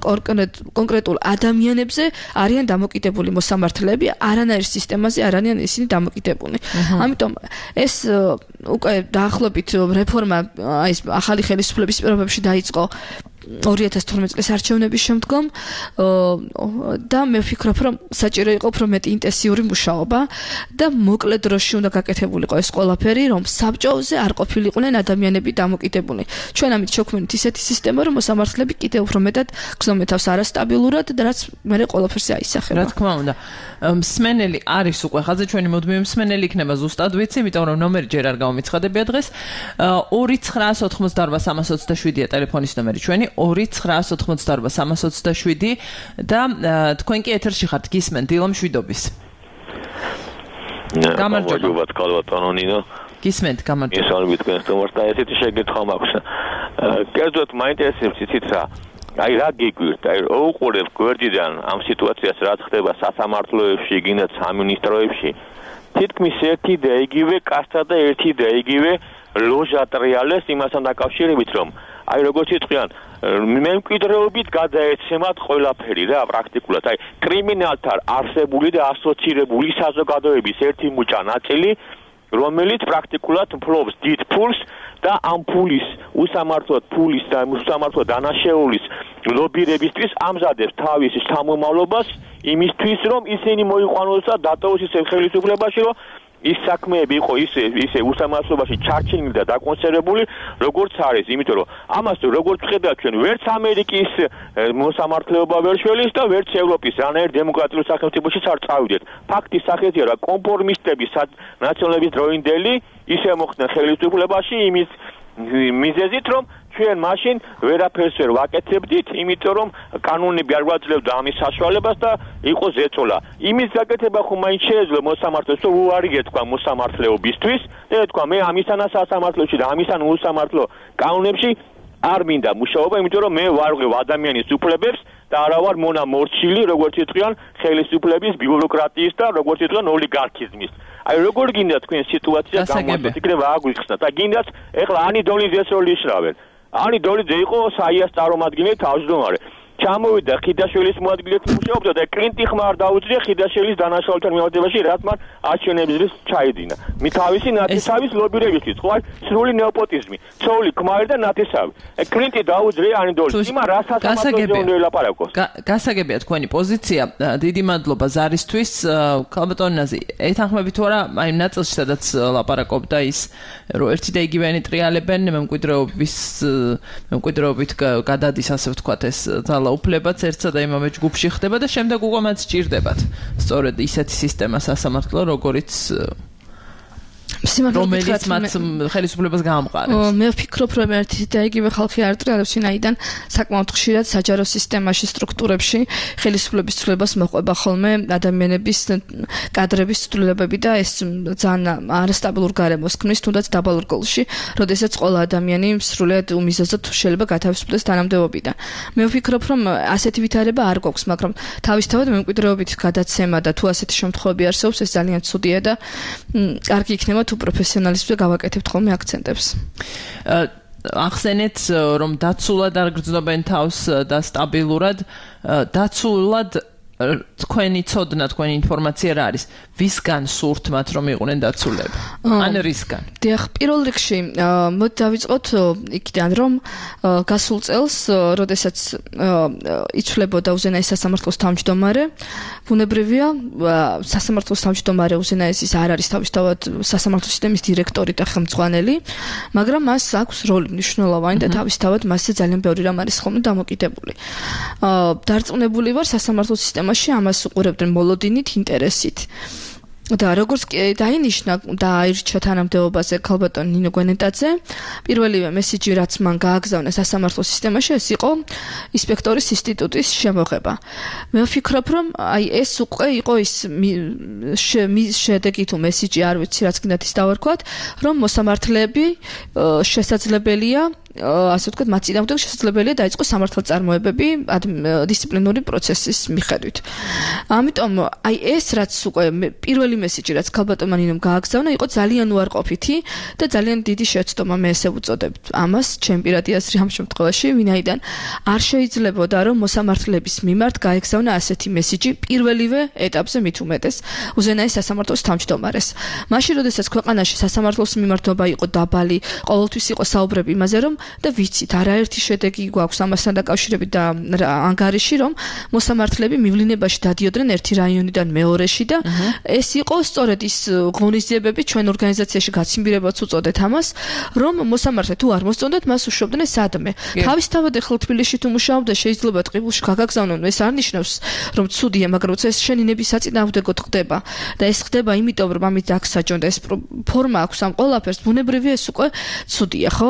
Speaker 4: კონკრეტულ ადამიანებზე არიან დამოკიდებული მოსამართლეები, არანაირ სისტემაზე არ არიან ისინი დამოკიდებული. ამიტომ ეს უკვე დაახლოებით რეფორმა აი ეს ახალი ხელისუფლების პირობებში დაიწყო ორი ათას თორმეტი წლის არჩევნების შემდგომ და მე ვფიქრობ რომ საჭირო იყო უფრო მეტი ინტენსიური მუშაობა და მოკლე დროში უნდა გაკეთებულიყო ეს ყველაფერი რომ საბჭოზე არ ყოფილიყვნენ ადამიანები დამოკიდებული ჩვენ ამით შევქმნით ისეთი სისტემა რომ მოსამართლეები კიდევ უფრო მეტად გრძნობენ თავს არასტაბილურად და რაც მე ყველაფერზე აისახება
Speaker 3: რა თქმა უნდა მსმენელი არის უკვე ხაზე ჩვენი მოდმე მსმენელი იქნება ზუსტად ვიცი იმიტომ რომ ნომერი ჯერ არ გამომიცხადებია დღეს ორი ცხრაას ოთხმოცდაარბა სამას ოცდაშვიდია ტელეფონის ნომერი ჩვენი ორი ცხრაას ოთხმოცდაარბა სამას ოცდაშვიდი და თქვენ კი ეთერში ხართ გისმენთ დილო მშვიდობის
Speaker 5: გამარჯობა ბატონო ნინო
Speaker 3: გისმენთ გამარჯობა
Speaker 5: ისალმით თქვენ თუმცა ესეთი შეგეთქვა მაქვს კერძოდ მაინტერესებს იცით რა აი რა გიგვირთ აი უყურებ გვერდიდან ამ სიტუაციას რაც ხდება სასამართლოებში გინდა სამინისტროებში თითქმის ერთი და იგივე კასტა და ერთი და იგივე ლოჟა ტრიალეს იმასთან დაკავშირებით რომ აი როგორც იტყვიან მემკვიდრეობით გადაეცემათ ყველაფერი რა პრაქტიკულად აი კრიმინალთან არსებული და ასოცირებული საზოგადოების ერთი მუჭა ნაწილი რომელიც პრაქტიკულად ფლობს დიდ ფულს და ამ ფულის უსამართლოდ ფულის და უსამართლოდ დანაშაულის ლობირებისთვის ამზადებს თავის შთამომავლობას იმისთვის რომ ისინი მოიყვანოს და დატოვოს ისე ხელისუფლებაში რომ ის საქმეები იყო ისე ისე უსამართლობაში ჩარჩენილი და დაკონსერვებული, როგორც არის, იმიტომ რომ ამას როგორც ხედავთ ჩვენ, ვერც ამერიკის მოსამართლეობა ვერ შველის და ვერც ევროპის რანაირ დემოკრატიულ სახელმწიფოში არ წავიდეთ. ფაქტის სახეზია, რომ კონფორმისტები ნაციონალების დროინდელი ისე მოხდნენ ხელისუფლებაში იმის მიზეზით, რომ ჩვენ მაშინ ვერაფერს ვერ ვაკეთებდით, იმიტომ რომ კანონები არ გვაძლევდა ამის საშუალებას და იყო ზეწოლა. იმის გაკეთება ხომ მაინც შეეძლო მოსამართლეს, რომ უარი ეთქვა მოსამართლეობისთვის და ეთქვა მე ამისანა სასამართლოში და ამისან უსამართლო კანონებში არ მინდა მუშაობა, იმიტომ რომ მე ვარღვევ ადამიანის უფლებებს და არა ვარ მონა მორჩილი, როგორც იტყვიან ხელისუფლების ბიუროკრატიის და როგორც იტყვიან ოლიგარქიზმის. აი როგორ გინდა თქვენ სიტუაცია გამოიწვიოთ, იქნება აგვიხსნათ და გინდათ ეხლა ანი დოლიძეს როლი იშრავენ. ანი დოლიძე იყო საიას წარმომადგენელი თავმჯდომარე. ჩამოვიდა ხიდაშვილის მოადგილედ მუშაობდა და კლინტი ხმა არ დაუძლია ხიდაშვილის დანაშაულთან მიმართებაში, რაც მან არჩევნების ჩაიდინა. მი თავისი ნათესავის ლობირებისთვის, ხო, სრული ნეოპოტიზმი, ცოული ქმარი და ნათესავი. კლინტი დაუძლია ანი დოლიძე, იმან რა სასამართლოზე ელაპარაკოს.
Speaker 3: გასაგებია თქვენი პოზიცია. დიდი მადლობა ზარისთვის. ქალბატონი ეთანხმებით თუ არა, აი ნაწილში სადაც ლაპარაკობდა ის, რომ ერთი და იგივენი ტრიალებენ მემკვიდრეობის მემკვიდრეობით გადადის, ასე ვთქვათ, ეს უფლებაც ერთსა და იმავე ჯგუფში ხდება და შემდეგ უკვე მათ სჭირდებათ სწორედ ისეთი სისტემა სასამართლო, როგორიც რომელიც მათ ხელისუფლებას გაამყარებს.
Speaker 4: მე ვფიქრობ, რომ ერთი და იგივე ხალხი არ ტრიალებს, ვინაიდან საკმაოდ ხშირად საჯარო სისტემაში, სტრუქტურებში ხელისუფლების ცვლილებას მოყვება ხოლმე ადამიანების კადრების ცვლილებები და ეს ძალიან არასტაბილურ გარემოს ქმნის, თუნდაც დაბალ რგოლში, როდესაც ყველა ადამიანი სრულად უმიზეზოდ შეიძლება გათავისუფლდეს თანამდებობიდან. მე ვფიქრობ, რომ ასეთი ვითარება არ გვაქვს, მაგრამ თავისთავად მემკვიდრეობით გადაცემა და თუ ასეთი შემთხვევები არსებობს, ეს ძალიან ცუდია და კარგი იქნება თუ პროფესიონალიზმზე გავაკეთებთ ხოლმე აქცენტებს.
Speaker 3: ახსენეთ, რომ დაცულად არ გრძნობენ თავს და სტაბილურად, დაცულად თქვენი ცოდნა, თქვენი ინფორმაცია რა არის? ვისგან სურთ მათ რომ იყვნენ დაცულები? ან რისგან?
Speaker 4: დიახ, პირველ რიგში მოდი დავიწყოთ იქიდან, რომ გასულ წელს, როდესაც იცვლებოდა უზენაეს სასამართლოს თავმჯდომარე, ბუნებრივია, სასამართლოს თავმჯდომარე უზენაესის არ არის თავისთავად სასამართლო სისტემის დირექტორი და ხელმძღვანელი, მაგრამ მას აქვს როლი მნიშვნელოვანი და თავისთავად მასზე ძალიან ბევრი რამ არის ხოლმე დამოკიდებული. დარწმუნებული ვარ, სასამართლო სისტემაში ამას უყურებდნენ მოლოდინით, ინტერესით. და როგორც დაინიშნა და აირჩა თანამდებობაზე ქალბატონ ნინო გვენეტაძე, პირველივე მესიჯი, რაც მან გააგზავნა სასამართლო სისტემაში, ეს იყო ინსპექტორის ინსტიტუტის შემოღება. მე ვფიქრობ, რომ აი ეს უკვე იყო ის შედეგი თუ მესიჯი, არ ვიცი, რაც გინდათ ის დავარქვათ, რომ მოსამართლეები შესაძლებელია ასე ვთქვათ, მათ წინააღმდეგ შესაძლებელია დაიწყოს სამართალწარმოებები დისციპლინური პროცესის მიხედვით. ამიტომ აი ეს რაც უკვე პირველი მესიჯი, რაც ქალბატონმა ნინომ გააგზავნა, იყო ძალიან უარყოფითი და ძალიან დიდი შეცდომა, მე ესე ვუწოდებ ამას, ჩემ პირადი აზრი ამ შემთხვევაში, ვინაიდან არ შეიძლებოდა, რომ მოსამართლეების მიმართ გაეგზავნა ასეთი მესიჯი პირველივე ეტაპზე მით უმეტეს უზენაეს სასამართლოს თავმჯდომარეს. მაშინ, როდესაც ქვეყანაში სასამართლოს მიმართობა იყო დაბალი, ყოველთვის იყო საუბრები იმაზე, რომ და ვიცით, არაერთი შედეგი გვაქვს ამასთან დაკავშირებით და ანგარიში, რომ მოსამართლეები მივლინებაში დადიოდნენ ერთი რაიონიდან მეორეში და ეს იყო სწორედ ის ღონისძიებები ჩვენ ორგანიზაციაში გაციმბირებაც უწოდეთ ამას, რომ მოსამართლე თუ არ მოსწონდათ, მას უშვებდნენ სადმე. თავისთავად ახლა თბილისში თუ მუშაობდა, შეიძლება ტყიბულში გაგაგზავნონ, ეს არ ნიშნავს, რომ ცუდია, მაგრამ როცა ეს შენი ნების საწინააღმდეგოდ ხდება და ეს ხდება იმიტომ, რომ ამით დაგსაჯონ და ეს ფორმა აქვს ამ ყველაფერს, ბუნებრივია ეს უკვე ცუდია, ხო?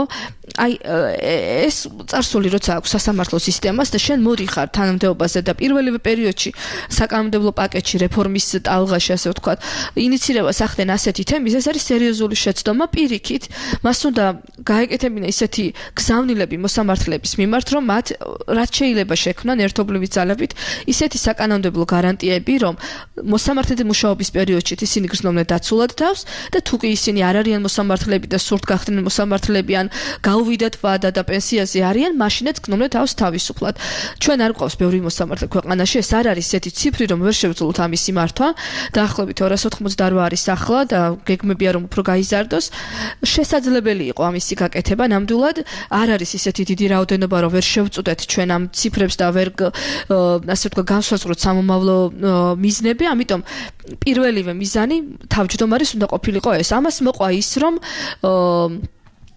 Speaker 4: აი ეს წარსული როცა აქვს სასამართლო სისტემას და შენ მოდიხარ თანამდებობაზე და პირველივე პერიოდში საკანონმდებლო პაკეტში რეფორმის ტალღაში, ასე ვთქვათ, ინიცირებას ახდენ ასეთი თემის, ეს არის სერიოზული შეცდომა პირიქით. მას უნდა გაეკეთებინა ისეთი გზავნილები მოსამართლეების მიმართ, რომ მათ რაც შეიძლება შექმნან ერთობლივი ძალებით ისეთი საკანონმდებლო გარანტიები, რომ მოსამართლეთა მუშაობის პერიოდში ისინი გრძნობდნენ დაცულად თავს და თუ კი ისინი არ არიან მოსამართლეები და სურთ გახდნენ მოსამართლეები ან გაუვიდათ ვადა და პენსიაზე არიან, მაშინაც გნომდნენ თავს თავისუფლად. ჩვენ არ გვყავს ბევრი მოსამართლე ქვეყანაში, ეს არ არის ესეთი ციფრი, რომ ვერ შევძლოთ ამისი მართვა. დაახლოებით ორას ოთხმოცდაოთხ არის ახლა და გეგმებია რომ უფრო გაიზარდოს. შესაძლებელი იყო ამისი გაკეთება, ნამდვილად არ არის ისეთი დიდი რაოდენობა, რომ ვერ შევწუდეთ ჩვენ ამ ციფრებს და ვერ ასე ვთქვათ განსაზღვროთ სამომავლო მიზნები, ამიტომ პირველივე მიზანი თავმჯდომარის უნდა ყოფილიყო ეს. ამას მოყვა ის, რომ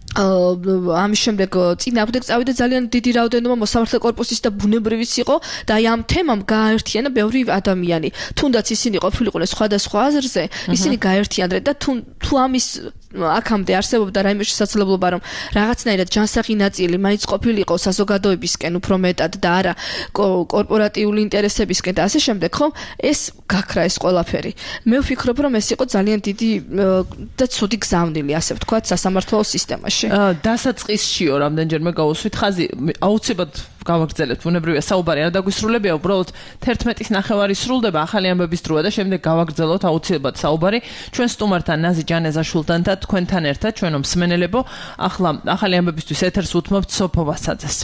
Speaker 4: ამის შემდეგ წინააღმდეგ წავიდა ძალიან დიდი რაოდენობა მოსამართლე კორპუსის და ბუნებრივიც იყო და აი ამ თემამ გააერთიანა ბევრი ადამიანი. თუნდაც ისინი ყოფილიყვნენ სხვადასხვა აზრზე, ისინი გააერთიანდნენ და თუ თუ ამის აქამდე არსებობდა რაიმე შესაძლებლობა, რომ რაღაცნაირად ჯანსაღი ნაწილი მაინც ყოფილიყო საზოგადოებისკენ უფრო მეტად და არა კორპორატიული ინტერესებისკენ და ასე შემდეგ, ხომ? ეს გაქრა ეს ყველაფერი. მე ვფიქრობ, რომ ეს იყო ძალიან დიდი და ცუდი გზავნილი, ასე ვთქვათ, სასამართლო სისტემაში.
Speaker 3: დასაწყისშიო რამდენჯერმე გავუსვით ხაზი, აუცილებლად გავაგრძელებთ, ბუნებრივია საუბარი არ დაგვისრულებია, უბრალოდ თერთმეტის ნახევარი სრულდება ახალი ამბების დროა და შემდეგ გავაგრძელოთ აუცილებლად საუბარი ჩვენ სტუმართან ნაზი ჯანეზაშვილთან და თქვენთან ერთად ჩვენო მსმენელებო, ახლა ახალი ამბებისთვის ეთერს უთმობთ სოფო ვასაძეს.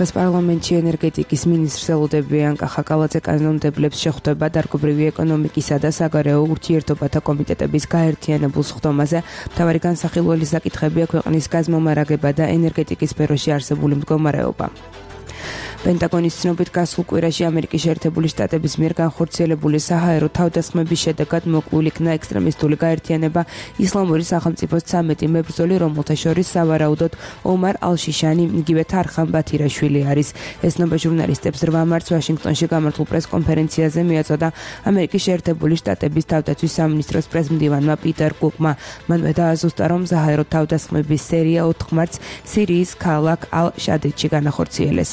Speaker 2: დღეს პარლამენტში ენერგეტიკის მინისტრს ელოდება იანკა ხაკალაძე კანონმდებლებს შეხვდება დარგობრივი ეკონომიკისა და საგარეო ურთიერთობათა კომიტეტების გაერთიანებულ სხდომაზე. მთავარი განსახილველი საკითხებია ქვეყნის გაზმომარაგება და ენერგეტიკის სფეროში არსებული მდგომარეობა. პენტაგონის ცნობით გასულ კვირაში ამერიკის შეერთებული შტატების მიერ განხორციელებული საჰაერო თავდასხმების შედეგად მოკლული იქნა ექსტრემისტული გაერთიანება ისლამური სახელმწიფოს ცამეტი მებრძოლი, რომელთა შორის სავარაუდოდ ომარ ალ-შიშანი, იგივე თარხან ბათირაშვილი არის. ეს ნობა ჟურნალისტებს რვა მარტს ვაშინგტონში გამართულ პრეს-კონფერენციაზე მიაწოდა ამერიკის შეერთებული შტატების თავდაცვის სამინისტროს პრეზმდივანმა პიტერ კუკმა. მანვე დააზუსტა, რომ საჰაერო თავდასხმების სერია ოთხ მარტს სირიის ქალაქ ალ-შადიდში განახორციელეს.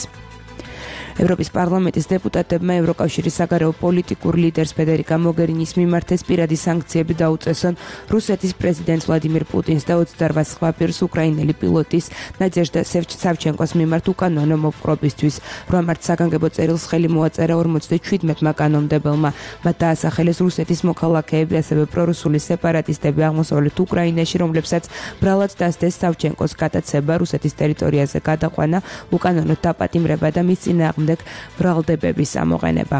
Speaker 2: ევროპის პარლამენტის დეპუტატებმა ევროკავშირის საგარეო პოლიტიკურ ლიდერს ფედერიკა მოგერინის მიმართ ეს პირადი სანქციები დაუწესონ რუსეთის პრეზიდენტს ვლადიმირ პუტინს და ოცდარვა სხვა პირს უკრაინელი პილოტის ნადეჟდა სევჩენკოს მიმართ უკანონო მოპყრობისთვის. რვა მარტს საგანგებო წერილს ხელი მოაწერა ორმოცდაშვიდმეტმა კანონმდებელმა. მათ დაასახელეს რუსეთის მოქალაქეები, ასევე პრორუსული სეპარატისტები აღმოსავლეთ უკრაინაში, რომლებსაც ბრალად დასდეს სევჩენკოს გადაცება, რუსეთის ტერიტორიაზე გადაყვანა, უკანონოდ დაპატიმრება და მის წინააღმდეგ ბრალდებების ამოყენება.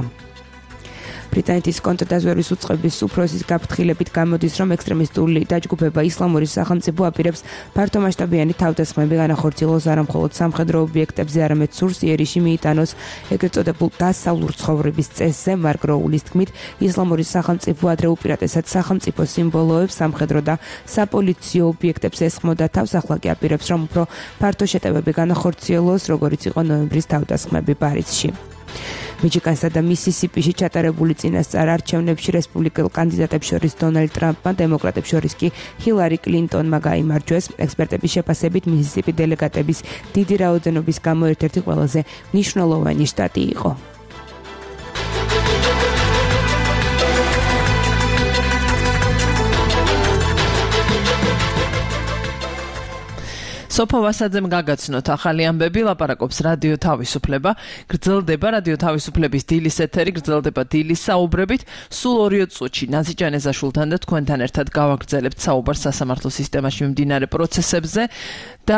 Speaker 2: ბრიტანეთის კონტრდაზვერვის უწყების უფროსის გაფრთხილებით გამოდის, რომ ექსტრემისტული დაჯგუფება ისლამური სახელმწიფო აპირებს ფართომასშტაბიანი თავდასხმები განახორციელოს არა მხოლოდ სამხედრო ობიექტებზე, არამედ სურს იერიში მიიტანოს ეგრეთ წოდებულ დასავლურ ცხოვრების წესზე. მარკ როულის თქმით, ისლამური სახელმწიფო ადრე უპირატესად სახელმწიფო სიმბოლოებს, სამხედრო და საპოლიციო ობიექტებს ესხმოდა თავს, ახლა კი აპირებს, რომ უფრო ფართო შეტევები განახორციელოს, როგორიც იყო ნოემბრის თავდასხმები პარიზში. მიჩიგანსა და მისისიპიში ჩატარებული წინასწარ არჩევნებში რესპუბლიკელ კანდიდატებს შორის დონალდ ტრამპმა, დემოკრატებს შორის კი ჰილარი კლინტონმა გაიმარჯვეს. ექსპერტების შეფასებით მისისიპი დელეგატების დიდი რაოდენობის გამო ერთ-ერთი ყველაზე მნიშვნელოვანი შტატი იყო.
Speaker 3: სოფო ვასაძემ გაგაცნოთ ახალი ამბები, ლაპარაკობს რადიო თავისუფლება, გრძელდება რადიო თავისუფლების დილის ეთერი, გრძელდება დილის საუბრებით, სულ ორი წუთში ნაზი ჯანეზაშვილთან და თქვენთან ერთად გავაგრძელებთ საუბარს სასამართლო სისტემაში მიმდინარე პროცესებზე და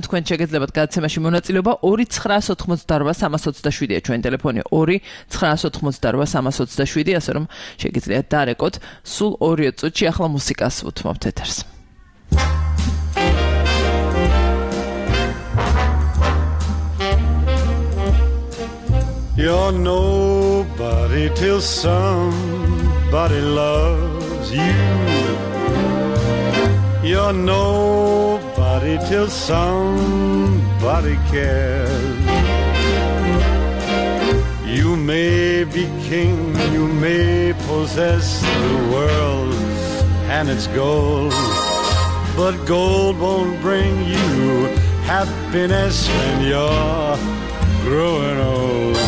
Speaker 3: თქვენ შეგეძლებათ გადაცემაში მონაწილეობა ორი ცხრაას ოთხმოცდარვა სამას ოცდაშვიდია ჩვენი ტელეფონი ორი ცხრაას ოთხმოცდარვა სამას ოცდაშვიდი, ასე რომ შეგიძლიათ დარეკოთ სულ ორი წუთში. ახლა მუსიკას უთმობთ ეთერს.
Speaker 6: You're nobody till somebody loves you. You're nobody till somebody cares. You may be king, you may possess the world and its gold, but gold won't bring you happiness when you're growing old.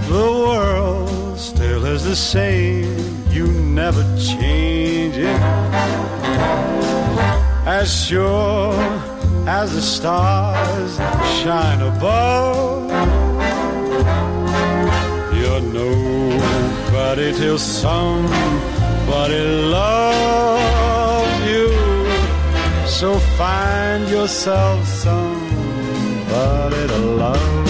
Speaker 6: The world still is the same, you never change it. As sure as the stars shine above, you're nobody somebody till somebody loves you. So find yourself somebody to love.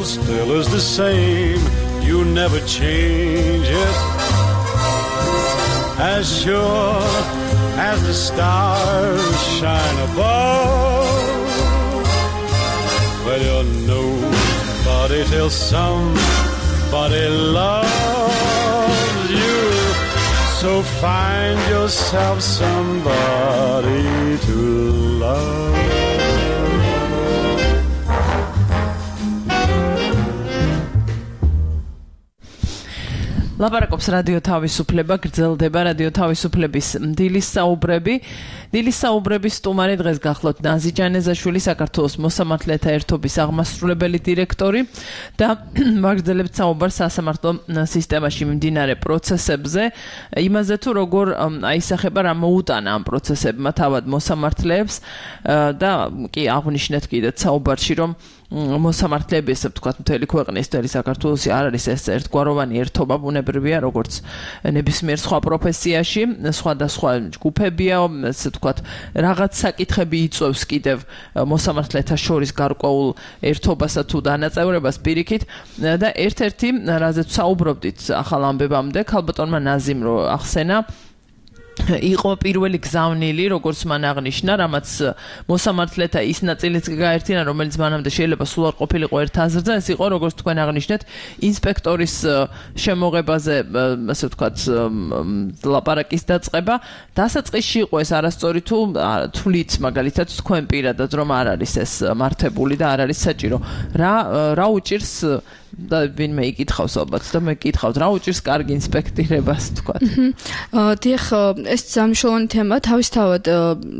Speaker 6: Still is the same, you never change it. As sure as the stars shine above. Well, you're nobody till somebody loves you. So find yourself somebody to love.
Speaker 3: ლაპარაკობს რადიო თავისუფლება, გრძელდება რადიო თავისუფლების დილის საუბრები. დილის საუბრების სტუმარი დღეს გახლავთ ნაზი ჯანეზაშვილი, საქართველოს მოსამართლეთა ერთობის აღმასრულებელი დირექტორი და ვაგრძელებთ საუბარს სასამართლო სისტემაში მიმდინარე პროცესებზე, იმაზე თუ როგორ აისახება რა მოუტანა ამ პროცესებმა თავად მოსამართლეებს და კი აღვნიშნეთ კიდეც საუბარში, რომ მოსამართლეები, ესე ვთქვათ, მთელი ქვეყნის მთელი საქართველოსი არ არის ეს ერთგვაროვანი ერთობა, ბუნებრივია, როგორც ნებისმიერ სხვა პროფესიაში, სხვადასხვა ჯგუფებია, ესე ვთქვათ, რაღაც საკითხები იწვევს კიდევ მოსამართლეთა შორის გარკვეულ ერთობასა თუ დანაწევრებას პირიქით და ერთ-ერთი, რაზეც საუბრობდით ახალ ამბებამდე, ქალბატონმა ნაზიმ რო ახსენა, იყო პირველი გზავნილი, როგორც მან აღნიშნა, რამაც მოსამართლეთა ის ნაწილიც გაერთიანა, რომელიც მანამდე შეიძლება სულ არ ყოფილიყო ერთ აზრზე, ეს იყო, როგორც თქვენ აღნიშნეთ, ინსპექტორის შემოღებაზე, ასე ვთქვათ, ლაპარაკის დაწყება. დასაწყისში იყო ეს არასწორი თუ თვლით, მაგალითად, თქვენ პირადად, რომ არ არის ეს მართებული და არ არის საჭირო. რა რა უჭირს და ვინმე იკითხავს ალბათ და მე კითხავთ, რა უჭირს კარგი ინსპექტირებას, თქვათ.
Speaker 4: აა დიახ, ეს ძალიან თემა, თავისთავად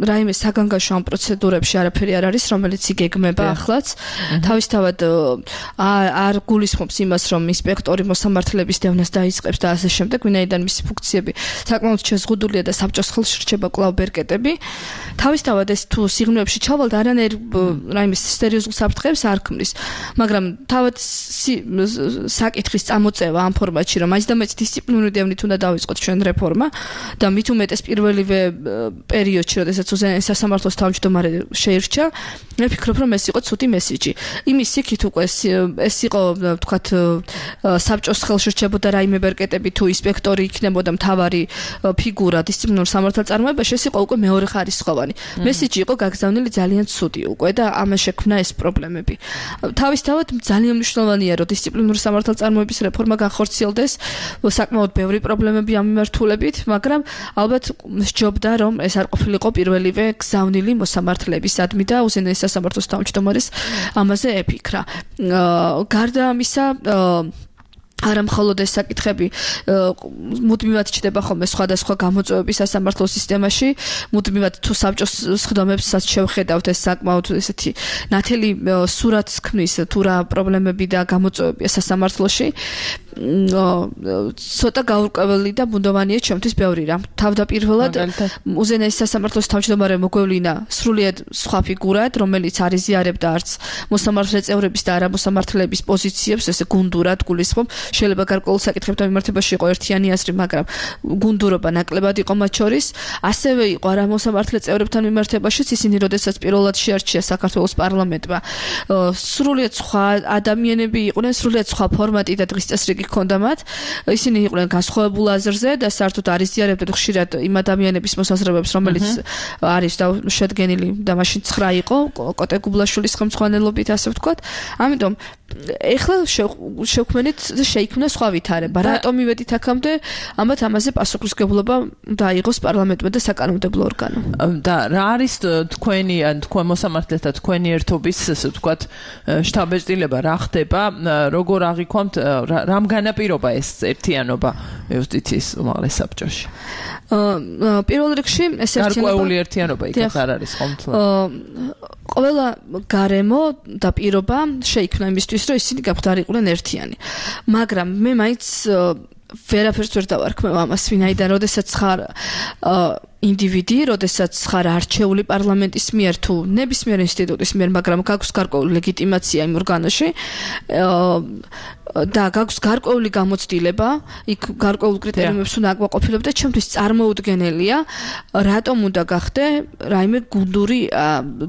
Speaker 4: რაიმე საგანგაშო ამ პროცედურებში არაფერი არ არის, რომელიც იგეგმება ახლაც. თავისთავად არ გულისხმობს იმას, რომ ინსპექტორი მოსამართლეების დევნას დაიწყებს და ასე შემდეგ, ვინაიდან მისი ფუნქციები საკმაოდ შეზღუდულია და საბჭოს ხელში რჩება კვლავ ბერკეტები. თავისთავად ეს თუ სიღრმეებში ჩავალ და არანაირ რაიმე სერიოზულ საფრთხეებს არ ქმნის, მაგრამ თავად საკითხის წამოწევა ამ ფორმატში, რომ მაინც და მაინც დისციპლინური დევნით უნდა დავიწყოთ ჩვენ რეფორმა და მით უმეტეს პირველივე პერიოდში, როდესაც უზენაეს სასამართლოს თავმჯდომარე შეირჩა, მე ვფიქრობ, რომ ეს იყო ცუდი მესიჯი. იმის იქით უკვე ეს იყო, ვთქვათ, საბჭოს ხელში რჩებოდა რაიმე ბერკეტები თუ ინსპექტორი იქნებოდა მთავარი ფიგურა დისციპლინურ სამართალწარმოებაში, ეს იყო უკვე მეორე ხარისხოვანი. მესიჯი იყო გაგზავნილი ძალიან ცუდი უკვე და ამას შექმნა ეს პრობლემები. თავისთავად ძალიან მნიშვნელოვანია, რომ დისციპლინური სამართალწარმოების რეფორმა განხორციელდეს, საკმაოდ ბევრი პრობლემები ამ მიმართულებით, მაგრამ ალბათ სჯობდა, რომ ეს არ ყოფილიყო პირველივე გზავნილი მოსამართლეებისადმი და უზენაეს სასამართლოს თავმჯდომარის ამაზე ეფიქრა. გარდა ამისა, არა მხოლოდ ეს საკითხები მუდმივად ჩდება ხოლმე სხვადასხვა გამოწვევები სასამართლო სისტემაში, მუდმივად თუ საბჭოს სხდომებსაც შევხედავთ, ეს საკმაოდ ესეთი ნათელი სურათს ქმნის თუ რა პრობლემები და გამოწვევებია სასამართლოში. ცოტა გაურკვეველი და ბუნდოვანია ჩემთვის ბევრი რამ. თავდაპირველად უზენაეს სასამართლოს თავმჯდომარე მოგვევლინა სრულიად სხვა ფიგურად, რომელიც არ იზიარებდა არც მოსამართლე წევრების და არა მოსამართლეების პოზიციებს, ესე გუნდურად გულისხმობ. შეიძლება გარკვეულ საკითხებთან მიმართებაში იყო ერთიანი აზრი, მაგრამ გუნდურობა ნაკლებად იყო მათ შორის. ასევე იყო არა მოსამართლე წევრებთან მიმართებაშიც, ისინი როდესაც პირველად შეარჩია საქართველოს პარლამენტმა, სრულიად სხვა ადამიანები იყვნენ, სრულიად სხვა ფორმატი და დღის წესრიგი ჰქონდა მათ. ისინი იყვნენ განსხვავებულ აზრზე და საერთოდ არ იზიარებდნენ ხშირად იმ ადამიანების მოსაზრებებს, რომელიც არის შედგენილი და მაშინ ცხრა იყო კოტე გუბლაშვილის ხელმძღვანელობით, ასე ვთქვათ. ამიტომ ეხლა შევქმნით შეიქმნა სხვა ვითარება. რატომ მივედით აქამდე? ამათ ამაზე პასუხისმგებლობა დაიღოს პარლამენტმა და საკანონმდებლო ორგანომ.
Speaker 3: და რა არის თქვენი ან თქვენ მოსამართლეთა თქვენი ერთობის ასე ვთქვათ შტაბ-ბეჭდილება რა ხდება? როგორ აღიქვამთ რამ განაპირობა ეს ერთიანობა იუსტიციის უმაღლეს საბჭოში?
Speaker 4: პირველ რიგში ეს ერთიანობა
Speaker 3: გარკვეული ერთიანობა იქაც არ არის ხომ?
Speaker 4: ყველა გარემო და პირობა შეიქმნა იმისთვის, რომ ისინი გამხდარიყვნენ ერთიანი. მაგრამ მე მაინც ვერაფერს ვერ დავარქმევ ამას, ვინაიდან როდესაც ხარ ინდივიდი, როდესაც ხარ არჩეული პარლამენტის მიერ თუ ნებისმიერ ინსტიტუტის მიერ, მაგრამ გაქვს გარკვეული ლეგიტიმაცია იმ ორგანოში და გაქვს გარკვეული გამოცდილება, იქ გარკვეულ კრიტერიუმებს უნდა აკვაყოფილებ და ჩემთვის წარმოუდგენელია, რატომ უნდა გახდე რაიმე გუნდური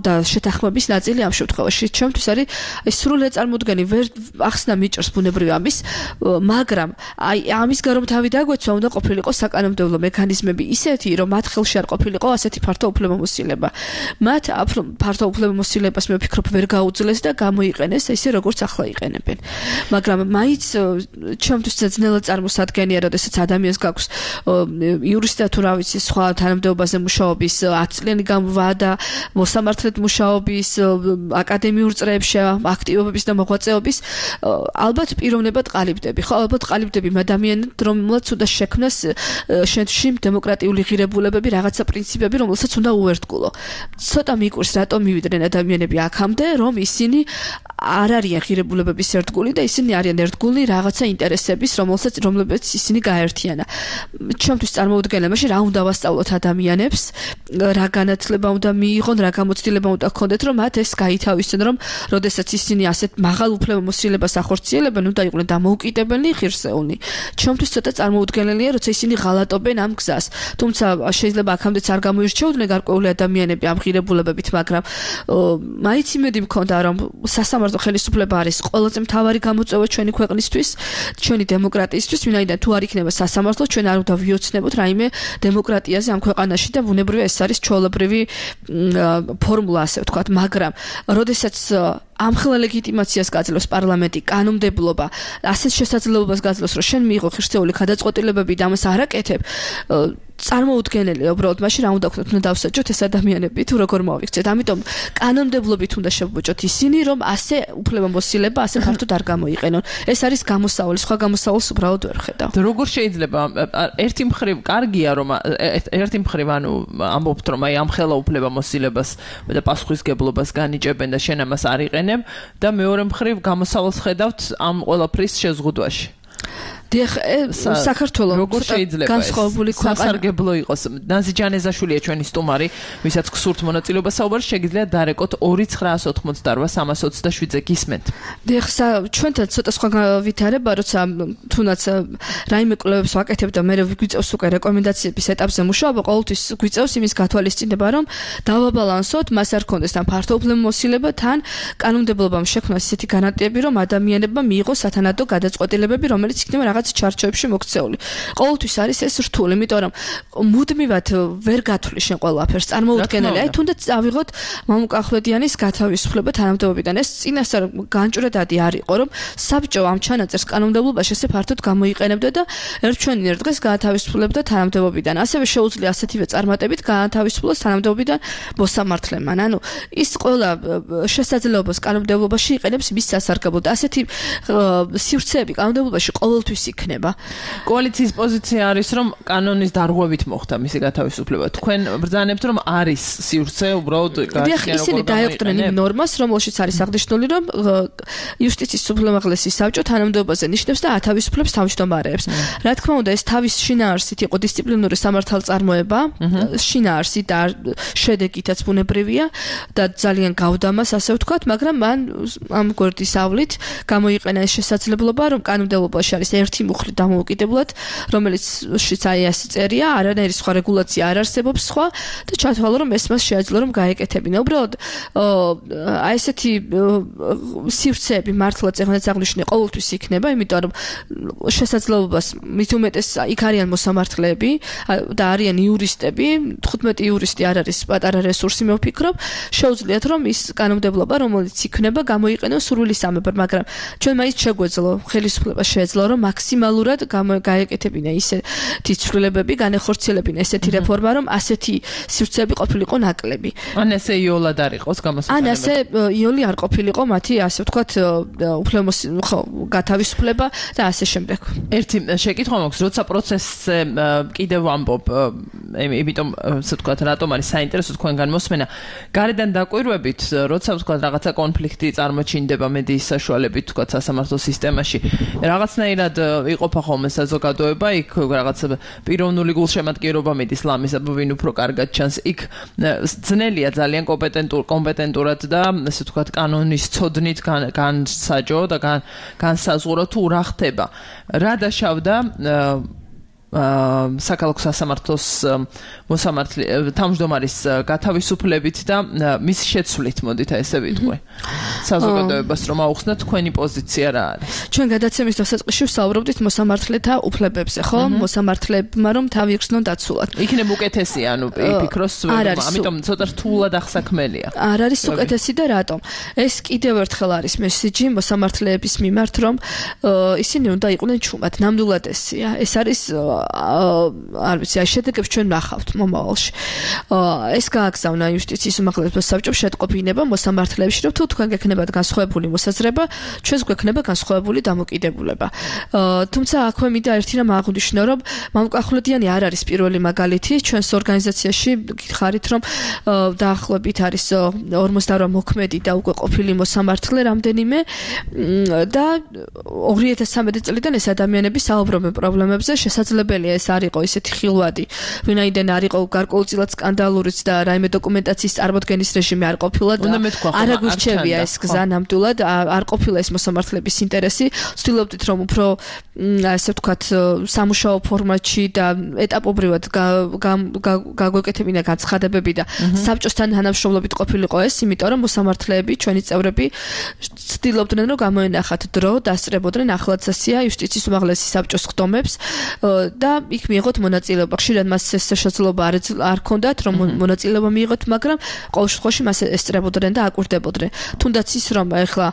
Speaker 4: და შეთანხმების ნაწილი ამ შემთხვევაში. ჩემთვის არის ეს სრულად წარმოუდგენელი, ვერ ახსნა მიჭრს ბუნებრივი ამის, მაგრამ აი ამის გარომ თავი დაგვეცვა, უნდა ყოფილიყო საკანონმდებლო მექანიზმები ისეთი, რომ მათ ხელში არ ყოფილიყო ასეთი ფართო უფლებამოსილება. მათ ფართო უფლებამოსილებას მე ვფიქრობ ვერ გაუძლეს და გამოიყენეს ესე როგორც ახლა იყენებენ. მაგრამ მაინც ჩემთვის ძნელად წარმოსადგენია, როდესაც ადამიანს გაქვს იურისტი თუ რა ვიცი სხვა თანამდებობაზე მუშაობის ათი წლიანი ვადა, მოსამართლედ მუშაობის, აკადემიურ წრეებში აქტივობების და მოღვაწეობის, ალბათ პიროვნებად ყალიბდები. ხო, ალბათ ყალიბდები ადამიანად, რომელსაც უნდა შექმნას შენში დემოკრატიული ღირებულებები, რაღაცა პრინციპები, რომელსაც უნდა უერთგულო. ცოტა მიკვირს, რატომ მივიდნენ ადამიანები აქამდე, რომ ისინი არ არიან ღირებულებების ერთგული და ისინი არიან ერთგული რაღაცა ინტერესების, რომელსაც რომლებიც ისინი გაერთიანა. ჩემთვის წარმოუდგენელია, მაშინ რა უნდა ვასწავლოთ ადამიანებს, რა განათლება უნდა მიიღონ, რა გამოცდილება უნდა ჰქონდეთ, რომ მათ ეს გაითავისონ, რომ როდესაც ისინი ასეთ მაღალ უფლებამოსილებას ახორციელებენ, უნდა იყვნენ დამოუკიდებელი, ღირსეული. ჩემთვის ცოტა წარმოუდგენელია, როცა ისინი ღალატობენ ამ გზას. თუმცა შეიძლება აქამდეც არ გამოირჩეოდნენ გარკვეული ადამიანები ამ ღირებულებებით, მაგრამ მაინც იმედი მქონდა, რომ სასამართლო ხელისუფლება არის ყველაზე მთავარი გამოწვევა ჩვენი ქვეყნისთვის, ჩვენი დემოკრატიისთვის, ვინაიდან თუ არ იქნება სასამართლო, ჩვენ არ უნდა ვიოცნებოთ რაიმე დემოკრატიაზე ამ ქვეყანაში და ბუნებრივია ეს არის ჩვეულებრივი ფორმულა, ასე ვთქვათ, მაგრამ როდესაც ამხელა ლეგიტიმაციას გაძლევს პარლამენტი, კანონმდებლობა, ასეთ შესაძლებლობას გაძლევს, რომ შენ მიიღო ღირსეული გადაწყვეტილებები და ამას არ აკეთებ, წარმოუდგენელია უბრალოდ, მაშინ რა უნდა ვქნათ, უნდა დავსაჯოთ ეს ადამიანები თუ როგორ მოვიქცეთ. ამიტომ კანონმდებლობით უნდა შევბოჭოთ ისინი, რომ ასე უფლებამოსილება ასე ფართოდ არ გამოიყენონ. ეს არის გამოსავალი, სხვა გამოსავალს უბრალოდ ვერ ხედავ.
Speaker 3: როგორ შეიძლება ერთი მხრივ კარგია, რომ ერთი მხრივ ანუ ამბობთ, რომ აი ამხელა უფლებამოსილებას და პასუხისმგებლობას განიჭებენ და შენ ამას არ იყენებ და მეორე მხრივ გამოსავალს ხედავთ ამ ყველაფრის შეზღუდვაში.
Speaker 4: დიახ, საქართველოს
Speaker 3: როგორ შეიძლება
Speaker 4: განსხვავებული
Speaker 3: სასარგებლო იყოს. ნაზი ჯანეზაშვილია ჩვენი სტუმარი, ვისაც გსურთ მონაწილეობა საუბარში, შეგიძლიათ დარეკოთ ორი ცხრაას ოთხმოცდარვა სამას ოცდაშვიდზე გისმენთ.
Speaker 4: დიახ, ჩვენთან ცოტა სხვა ვითარება, როცა თუნდაც რაიმე კვლევებს ვაკეთებ და მე გვიწევს უკვე რეკომენდაციების ეტაპზე მუშაობა, ყოველთვის გვიწევს იმის გათვალისწინება, რომ დავაბალანსოთ, მას არ ქონდეს თან ფართო უფლებამოსილება, თან კანონმდებლობამ შექმნას ისეთი განათლები, რომ ადამიანებმა მიიღოს სათანადო გადაწყვეტილებები, რომელიც იქნება რაღაც ჩარჩოებში მოქცეული. ყოველთვის არის ეს რთული, იმიტომ რომ მუდმივად ვერ გათვლი შენ ყველაფერს. წარმოუდგენელია. აი თუნდაც წავიღოთ მამუკახვლედიანის გათავისუფლება თანამდებობიდან. ეს წინასწარ განჭვრეტადი არ იყო, რომ საბჭო ამ ჩანაწერს კანონმდებლობაში ესე ფართოდ გამოიყენებდა და ერთჩვენინ ერთ დღეს გათავისუფლებდა თანამდებობიდან. ასევე შეუძლია ასეთივე წარმატებით გათავისუფლოს თანამდებობიდან მოსამართლემან. ანუ ის ყველა შესაძლებლობას კანონმდებლობაში იყენებს მის სასარგებლოდ. ასეთი სივრცეები კანონმდებლობაში ყოველთვის იქნება.
Speaker 3: კოალიციის პოზიცია არის, რომ კანონის დარღვევით მოხდა მისი გათავისუფლება. თქვენ ბრძანებთ, რომ არის სივრცე უბრალოდ
Speaker 4: გაჩნია როგორ ისინი დაეყრნენ იმ ნორმას, რომელშიც არის აღნიშნული, რომ იუსტიციის უმაღლესი საბჭო თანამდებობაზე ნიშნებს და ათავისუფლებს თავმჯდომარეებს. რა თქმა უნდა, ეს თავის შინაარსით იყო დისციპლინური სამართალწარმოება, შინაარსით და შედეგითაც ბუნებრივია და ძალიან გავდამას, ასე ვთქვათ, მაგრამ მან ამ გვერდის ავლით გამოიყენა ეს შესაძლებლობა, რომ კანონმდებლობაში არის ერთი ერთი მუხლი დამოუკიდებლად, რომელიცშიც აი ასე წერია, არანაირი სხვა რეგულაცია არ არსებობს სხვა და ჩათვალო რომ ეს მას შეაძლო რომ გაეკეთებინა. უბრალოდ აი ესეთი სივრცეები მართლაც ეგრეთ აღნიშნე ყოველთვის იქნება, იმიტომ რომ შესაძლებლობას მით უმეტეს იქ არიან მოსამართლეები და არიან იურისტები, თხუთმეტი იურისტი არ არის პატარა რესურსი მე ვფიქრობ, შეუძლიათ რომ ის კანონმდებლობა რომელიც იქნება გამოიყენოს სურვილი სამეფოდ, მაგრამ ჩვენ მაინც შეგვეძლო ხელისუფლება შეეძლო რომ მაქსიმალურად გაეკეთებინა ისეთი ცვლილებები, განეხორციელებინა ესეთი რეფორმა, რომ ასეთი სივრცეები ყოფილიყო ნაკლები.
Speaker 3: ან ესე იოლად არ იყოს გამოსაყენებელი.
Speaker 4: ან ასე იოლი არ ყოფილიყო მათი ასე ვთქვათ უფლემოს ხო გათავისუფლება და ასე შემდეგ.
Speaker 3: ერთი შეკითხვა მაქვს, როცა პროცესზე კიდევ ვამბობ, იმიტომ ასე ვთქვათ, რატომ არის საინტერესო თქვენგან მოსმენა, გარედან დაკვირვებით, როცა ვთქვათ რაღაცა კონფლიქტი წარმოჩინდება მედიის საშუალებით, ვთქვათ სასამართლო სისტემაში, რაღაცნაირად იყოფა ხოლმე საზოგადოება, იქ რაღაცა პიროვნული გულშემატკივრობა მიდის ლამისად, ვინ უფრო კარგად ჩანს, იქ ძნელია ძალიან კომპეტენტურ კომპეტენტურად და ასე ვთქვათ კანონის ცოდნით განსაჯო და განსაზღვრო თუ რა ხდება. რა დაშავდა საქალაქო სასამართლოს მოსამართლე თავმჯდომარის გათავისუფლებით და მის შეცვლით, მოდით ესე ვიტყვი. საზოგადოებას რომ აუხსნათ თქვენი პოზიცია რა არის?
Speaker 4: ჩვენ გადაცემის დასაწყისში ვსაუბრობდით მოსამართლეთა უფლებებზე, ხო? მოსამართლებმა რომ თავი იხსნონ დაცულად.
Speaker 3: იქნებ უკეთესი, ანუ ფიქრობს, ამიტომ ცოტა რთულად ახსაქმელია.
Speaker 4: არ არის უკეთესი და რატომ? ეს კიდევ ერთხელ არის მესიჯი მოსამართლეების მიმართ, რომ ისინი უნდა იყვნენ ჩუმად, ნამდვილად ესია. ეს არის არ ვიცი, აი შედეგებს ჩვენ ნახავთ მომავალში. ეს გააგზავნა იუსტიციის უმაღლეს საბჭომ შეტყობინება მოსამართლეებში, რომ თუ თქვენ გექნებათ განსხვავებული მოსაზრება, ჩვენს გვექნება განსხვავებული დამოკიდებულება. თუმცა აქვე მინდა ერთი რამ აღვნიშნო, რომ მამუკახულედიანი არ არის პირველი მაგალითი, ჩვენს ორგანიზაციაში გითხარით, რომ დაახლოებით არის ორმოცდაორი მოქმედი და უკვე ყოფილი მოსამართლე რამდენიმე და ორი ათას ცხრამეტი წლიდან ეს ადამიანები საუბრობენ პრობლემებზე, შესაძლებელია ეს არ იყო ისეთი ხილვადი, ვინაიდან არ იყო გარკვეულწილად სკანდალურიც და რაიმე დოკუმენტაციის წარმოდგენის რეჟიმი არ ყოფილა და არ აგვირჩევია ეს გზა ნამდვილად, არ ყოფილა ეს მოსამართლეების ინტერესი. ვცდილობდით რომ უფრო ასე ვთქვათ სამუშაო ფორმატში და ეტაპობრივად გაგვეკეთებინა განცხადებები და საბჭოსთან თანამშრომლობით ყოფილიყო ეს, იმიტომ რომ მოსამართლეები, ჩვენი წევრები ვცდილობდნენ რომ გამოენახათ დრო, დასწრებოდნენ ახლაც ასია იუსტიციის უმაღლესი საბჭოს ხდომებს და იქ მიიღოთ მონაწილეობა. ხშირად მას ეს შესაძლებლობა არ ჰქონდათ რომ მონაწილეობა მიიღოთ, მაგრამ ყოველ შემთხვევაში მას ესწრებოდნენ და აკვირდებოდნენ. თუნდაც ის რომ ეხლა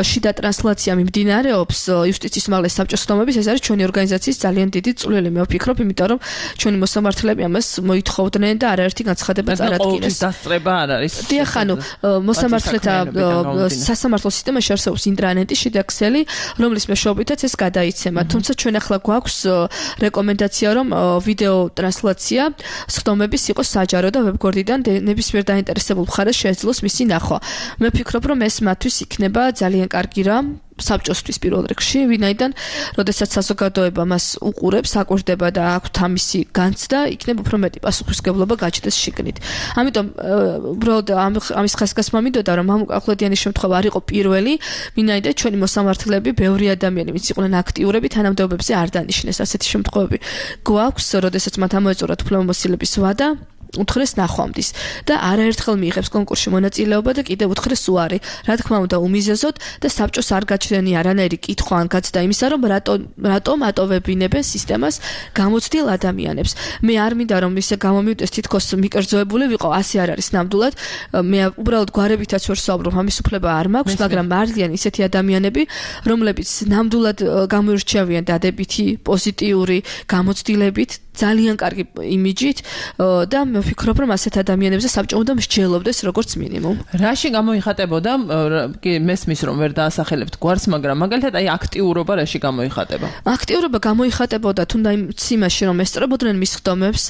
Speaker 4: შიდა ტრანსლაცია მიმდინარეობს იუსტიციის უმაღლესი საბჭოს ხდომების, ეს არის ჩვენი ორგანიზაციის ძალიან დიდი წვლილი, მე ვფიქრობ, იმიტომ რომ ჩვენი მოსამართლეები ამას მოითხოვდნენ და არაერთი განცხადება წარადგინეს.
Speaker 3: დასწრება არ არის.
Speaker 4: დიახ, ანუ მოსამართლეთა სასამართლო სისტემაში არსებობს ინტრანეტი, შიდა ქსელი, რომლის მეშვეობითაც ეს გადაიცემა. თუმცა ჩვენ ახლა გვაქვს რეკომენდაცია, რომ ვიდეო ტრანსლაცია სხდომების იყოს საჯარო და ვებგვერდიდან ნებისმიერ დაინტერესებულ მხარეს შეეძლოს მისი ნახვა. მე ვფიქრობ, რომ ეს მათთვის იქნება ძალიან კარგი რამ. საბჭოსთვის პირველ რიგში, ვინაიდან როდესაც საზოგადოება მას უყურებს, აკვირდება და აქვთ ამისი განცდა, იქნება უფრო მეტი პასუხისმგებლობა გაჩნდეს შიგნით. ამიტომ უბრალოდ ამის ხასკასმა მინდოდა, რომ მამუკახულედიანის შემთხვევა არ იყო პირველი, ვინაიდან ჩვენი მოსამართლეები, ბევრი ადამიანი, ვინც იყვნენ აქტიურები, თანამდებობებზე არ დანიშნეს. ასეთი შემთხვევები გვაქვს, როდესაც მათ ამოეწურათ უფლებამოსილების ვადა, უთხრეს ნახვამდის და არაერთხელ მიიღებს კონკურსში მონაწილეობა და კიდევ უთხრეს უარი. რა თქმა უნდა, უმიზეზოდ და საბჭოს არ გაჩნდენი არანაირი კითხვა ან გაცდა იმისა, რომ რატომ რატომ ატოვებინებენ სისტემას გამოცდილ ადამიანებს. მე არ მინდა რომ ისე გამომივიდეს თითქოს მიკერძოებული ვიყო, ასე არ არის ნამდვილად. მე უბრალოდ გვარებითაც ვერ საუბრობ, ამის უფლება არ მაქვს, მაგრამ არიან ისეთი ადამიანები, რომლებიც ნამდვილად გამოირჩევიან დადებითი, პოზიტიური გამოცდილებით, ძალიან კარგი იმიჯით და მე ვფიქრობ, რომ ასეთ ადამიანებზე საბჭო უნდა მსჯელობდეს როგორც მინიმუმ.
Speaker 3: რაში გამოიხატებოდა? კი, მესმის რომ ვერ დაასახელებთ გვარს, მაგრამ მაგალითად აი აქტიურობა რაში გამოიხატება?
Speaker 4: აქტიურობა გამოიხატებოდა თუნდაც იმაში, რომ ესწრებოდნენ მის ხდომებს,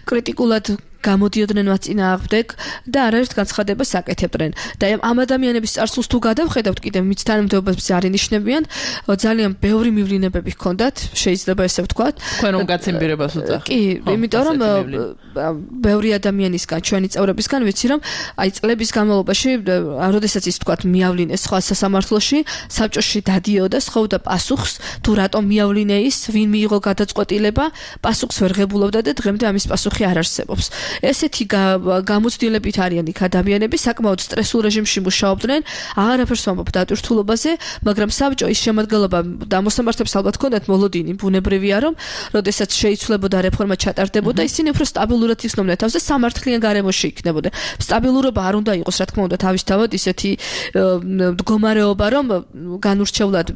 Speaker 4: კრიტიკულად გამოდიოდნენ მათ წინააღმდეგ და არაერთ განცხადებას აკეთებდნენ. და ამ ადამიანების წარსულს თუ გადავხედავთ კიდევ მის თანამდებობებს არინიშნებიან, ძალიან ბევრი მივლინებები ჰქონდათ, შეიძლება ესე ვთქვათ.
Speaker 3: თქვენ რომ გაცემბირებას უწახთ.
Speaker 4: კი, იმიტომ რომ ბევრი ადამიანისგან, ჩვენი წევრებისგან ვიცი რომ აი წლების განმავლობაში, როდესაც ის ვთქვათ მიავლინეს სხვა სასამართლოში, საბჭოში დადიოდა, ხოვდა პასუხს, თუ რატომ მიავლინე ის, ვინ მიიღო გადაწყვეტილება, პასუხს ვერ ღებულობდა და დღემდე ამის პასუხი არ არსებობს. ესეთი გამოცდილებით არიან იქ ადამიანები, საკმაოდ სტრესულ რეჟიმში მუშაობდნენ, აღარაფერს ვამბობ დატვირთულობაზე, მაგრამ საბჭო ის შემადგენლობა და მოსამართლეებს ალბათ ჰქონდათ მოლოდინი, ბუნებრივია რომ, როდესაც შეიცვლებოდა რეფორმა ჩატარდებოდა, ისინი უფრო სტაბილურად იხსნოდნენ თავს და სამართლიან გარემოში იქნებოდნენ. სტაბილურობა არ უნდა იყოს, რა თქმა უნდა, თავისთავად ისეთი მდგომარეობა, რომ განურჩევლად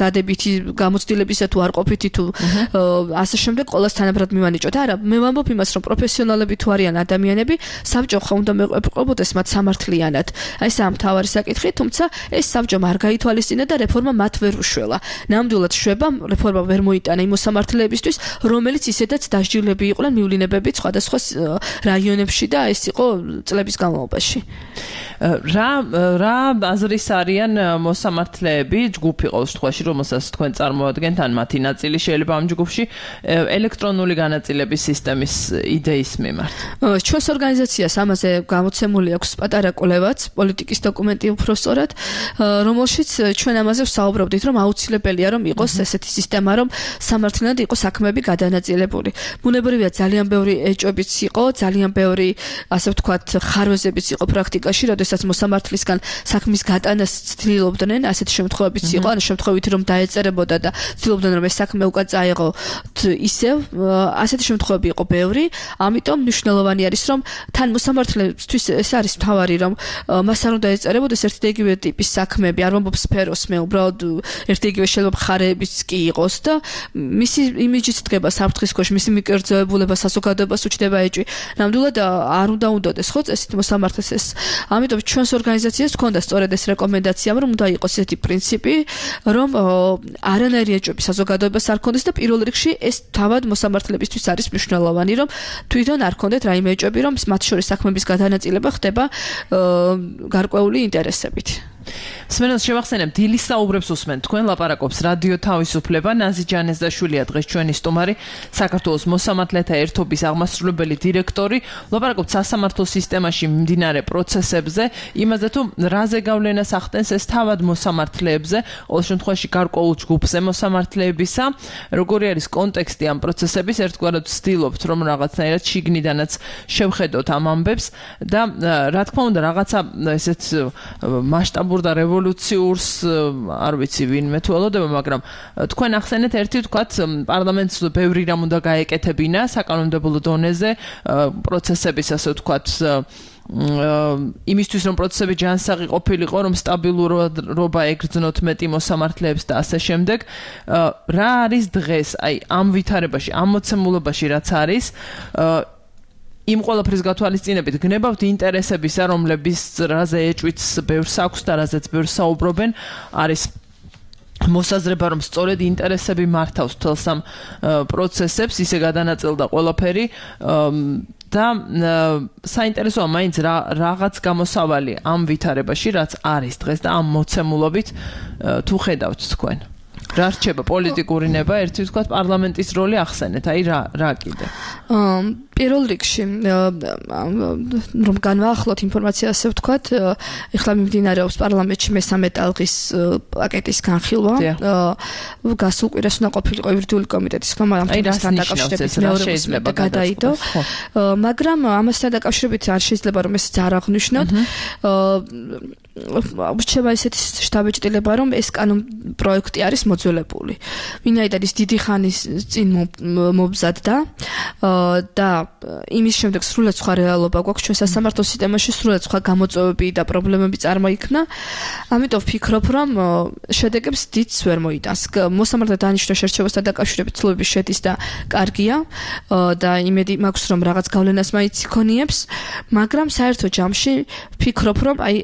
Speaker 4: დადებითი გამოცდილებისა თუ არ ყოფითი თუ ასე შემდეგ ყოველს თანაბრად მივანიჭოთ. არა, მე ვამბობ იმას, რომ პროფესიონალები თუ არიან ადამიანები, საბჭო ხა უნდა მეყობოდეს მათ სამართლიანად. აი ეს ამ თავარი საკითხი, თუმცა ეს საბჭომ არ გაითვალისწინა და რეფორმა მათ ვერ უშველა. ნამდვილად შვება, რეფორმა ვერ მოიტანა იმ მოსამართლეებისთვის, რომელიც ისედაც დასჯილები იყვნენ მივლინებები სხვადასხვა რაიონებში და ეს იყო წლების განმავლობაში.
Speaker 3: რა რა აზრის არიან მოსამართლეები, ჯგუფი ყოველ შემთხვევაში, რომელსაც თქვენ წარმოადგენთ, ან მათი ნაწილი შეიძლება ამ ჯგუფში ელექტრონული განაწილების სისტემის იდეის მიმართ.
Speaker 4: ჩვენს ორგანიზაციას ამაზე გამოცემული აქვს პატარა კვლევაც, პოლიტიკის დოკუმენტი უფრო სწორად, რომელშიც ჩვენ ამაზე ვსაუბრობდით, რომ აუცილებელია რომ იყოს ესეთი სისტემა, რომ სამართლიანად იყოს საქმეები გადანაწილებული. ბუნებრივია ძალიან ბევრი ეჭვებიც იყო, ძალიან ბევრი ასე ვთქვათ ხარვეზებიც იყო პრაქტიკაში, როდესაც მოსამართლისგან საქმის გატანას ცდილობდნენ, ასეთი შემთხვევებიც იყო, ან შემთხვევით რომ დაეწერებოდა და ცდილობდნენ რომ ეს საქმე უკან წაეღო ისევ, ასეთი შემთხვევები იყო ბევრი, ამიტომ მნიშვნელოვანი არის რომ თან მოსამართლეებისთვის ეს არის მთავარი რომ მას არ უნდა ეწერებოდეს ერთი და იგივე ტიპის საქმეები, არ ვამბობ სფეროს, მე უბრალოდ ერთი იგივე შეიძლება მხარეებიც კი იყოს და მისი იმიჯიც დგება საფრთხის ქვეშ, მისი მიკერძოებულება საზოგადოებას უჩნდება ეჭვი. ნამდვილად არ უნდა უნდოდეს ხო წესით მოსამართლეს ეს. ამიტომ ჩვენს ორგანიზაციას ჰქონდა სწორედ ეს რეკომენდაცია, რომ უნდა იყოს ესეთი პრინციპი, რომ არანაირი ეჭვები საზოგადოებას არ ქონდეს და პირველ რიგში ეს თავად მოსამართლებისთვის არის მნიშვნელოვანი, რომ თვითონ არ ქონდეთ რაიმე ეჭვები, რომ მათ შორის საქმეების გადანაწილება ხდება გარკვეული ინტერესებით.
Speaker 3: სმენელს შევახსენებ, დილის საუბრებს უსმენთ. თქვენ ლაპარაკობს რადიო თავისუფლება, ნაზი ჯანესდაშვილია დღეს ჩვენი სტუმარი, საქართველოს მოსამართლეთა ერთობის აღმასრულებელი დირექტორი. ლაპარაკობთ სასამართლო სისტემაში მიმდინარე პროცესებზე, იმაზე თუ რაზე გავლენას ახდენს ეს თავად მოსამართლეებზე, ყოველ შემთხვევაში გარკვეულ ჯგუფზე მოსამართლეებისა, როგორი არის კონტექსტი ამ პროცესების, ერთგვარად ვცდილობთ, რომ რაღაცნაირად შიგნიდანაც შევხედოთ ამ ამბებს და რა თქმა უნდა, რაღაცა ესეთ მასშტაბურ და რევოლუციურს არ ვიცი ვინმე თუ ელოდება, მაგრამ თქვენ ახსენეთ ერთი თქვათ პარლამენტს ბევრი რამ უნდა გაეკეთებინა საკანონმდებლო დონეზე პროცესების ასე ვთქვათ იმისთვის რომ პროცესები ჯანსაღი ყოფილიყო, რომ სტაბილურობა ეგრძნოთ მეტი მოსამართლეებს და ასე შემდეგ. რა არის დღეს აი ამ ვითარებაში, ამ მოცემულობაში რაც არის იმ ყველაფრის გათვალისწინებით გნებავთ ინტერესებისა, რომლების რაზე ეჭვიც ბევრს აქვს და რაზეც ბევრს საუბრობენ, არის მოსაზრება, რომ სწორედ ინტერესები მართავს თელს ამ პროცესებს, ისე გადანაწილდა ყველაფერი და საინტერესოა მაინც რაღაც გამოსავალი ამ ვითარებაში, რაც არის დღეს და ამ მოცემულობით თუ ხედავთ თქვენ. რა რჩება პოლიტიკური ნება, ერთი ვთქვათ პარლამენტის როლი ახსენეთ, აი რა რა კიდე.
Speaker 4: პირველ რიგში რომ განვაახლოთ ინფორმაცია ასე ვთქვათ, ეხლა მიმდინარეობს პარლამენტში მესამე ტალღის პაკეტის განხილვა. გასულ კვირას უნდა ყოფილიყო იურიდიული კომიტეტის ხმა ამ თემასთან დაკავშირებით მეორე შეიძლება გადაიდო. მაგრამ ამასთან დაკავშირებით არ შეიძლება რომ ეს არ აღნიშნოთ. რჩება ესეთი შთაბეჭდილება, რომ ეს კანონ პროექტი არის მოძველებული. ვინაიდან ის დიდი ხანის წინ მომზადდა და იმის შემდეგ სრულად სხვა რეალობა გვაქვს ჩვენ სასამართლო სისტემაში, სრულად სხვა გამოწვევები და პრობლემები წარმოიქმნა. ამიტომ ვფიქრობ, რომ შედეგებს დიდს ვერ მოიტანს. მოსამართლე დანიშნვა შერჩევასთან დაკავშირებით ცდილობები შედის და კარგია და იმედი მაქვს, რომ რაღაც გავლენას მაინც იქონიებს, მაგრამ საერთო ჯამში ვფიქრობ, რომ აი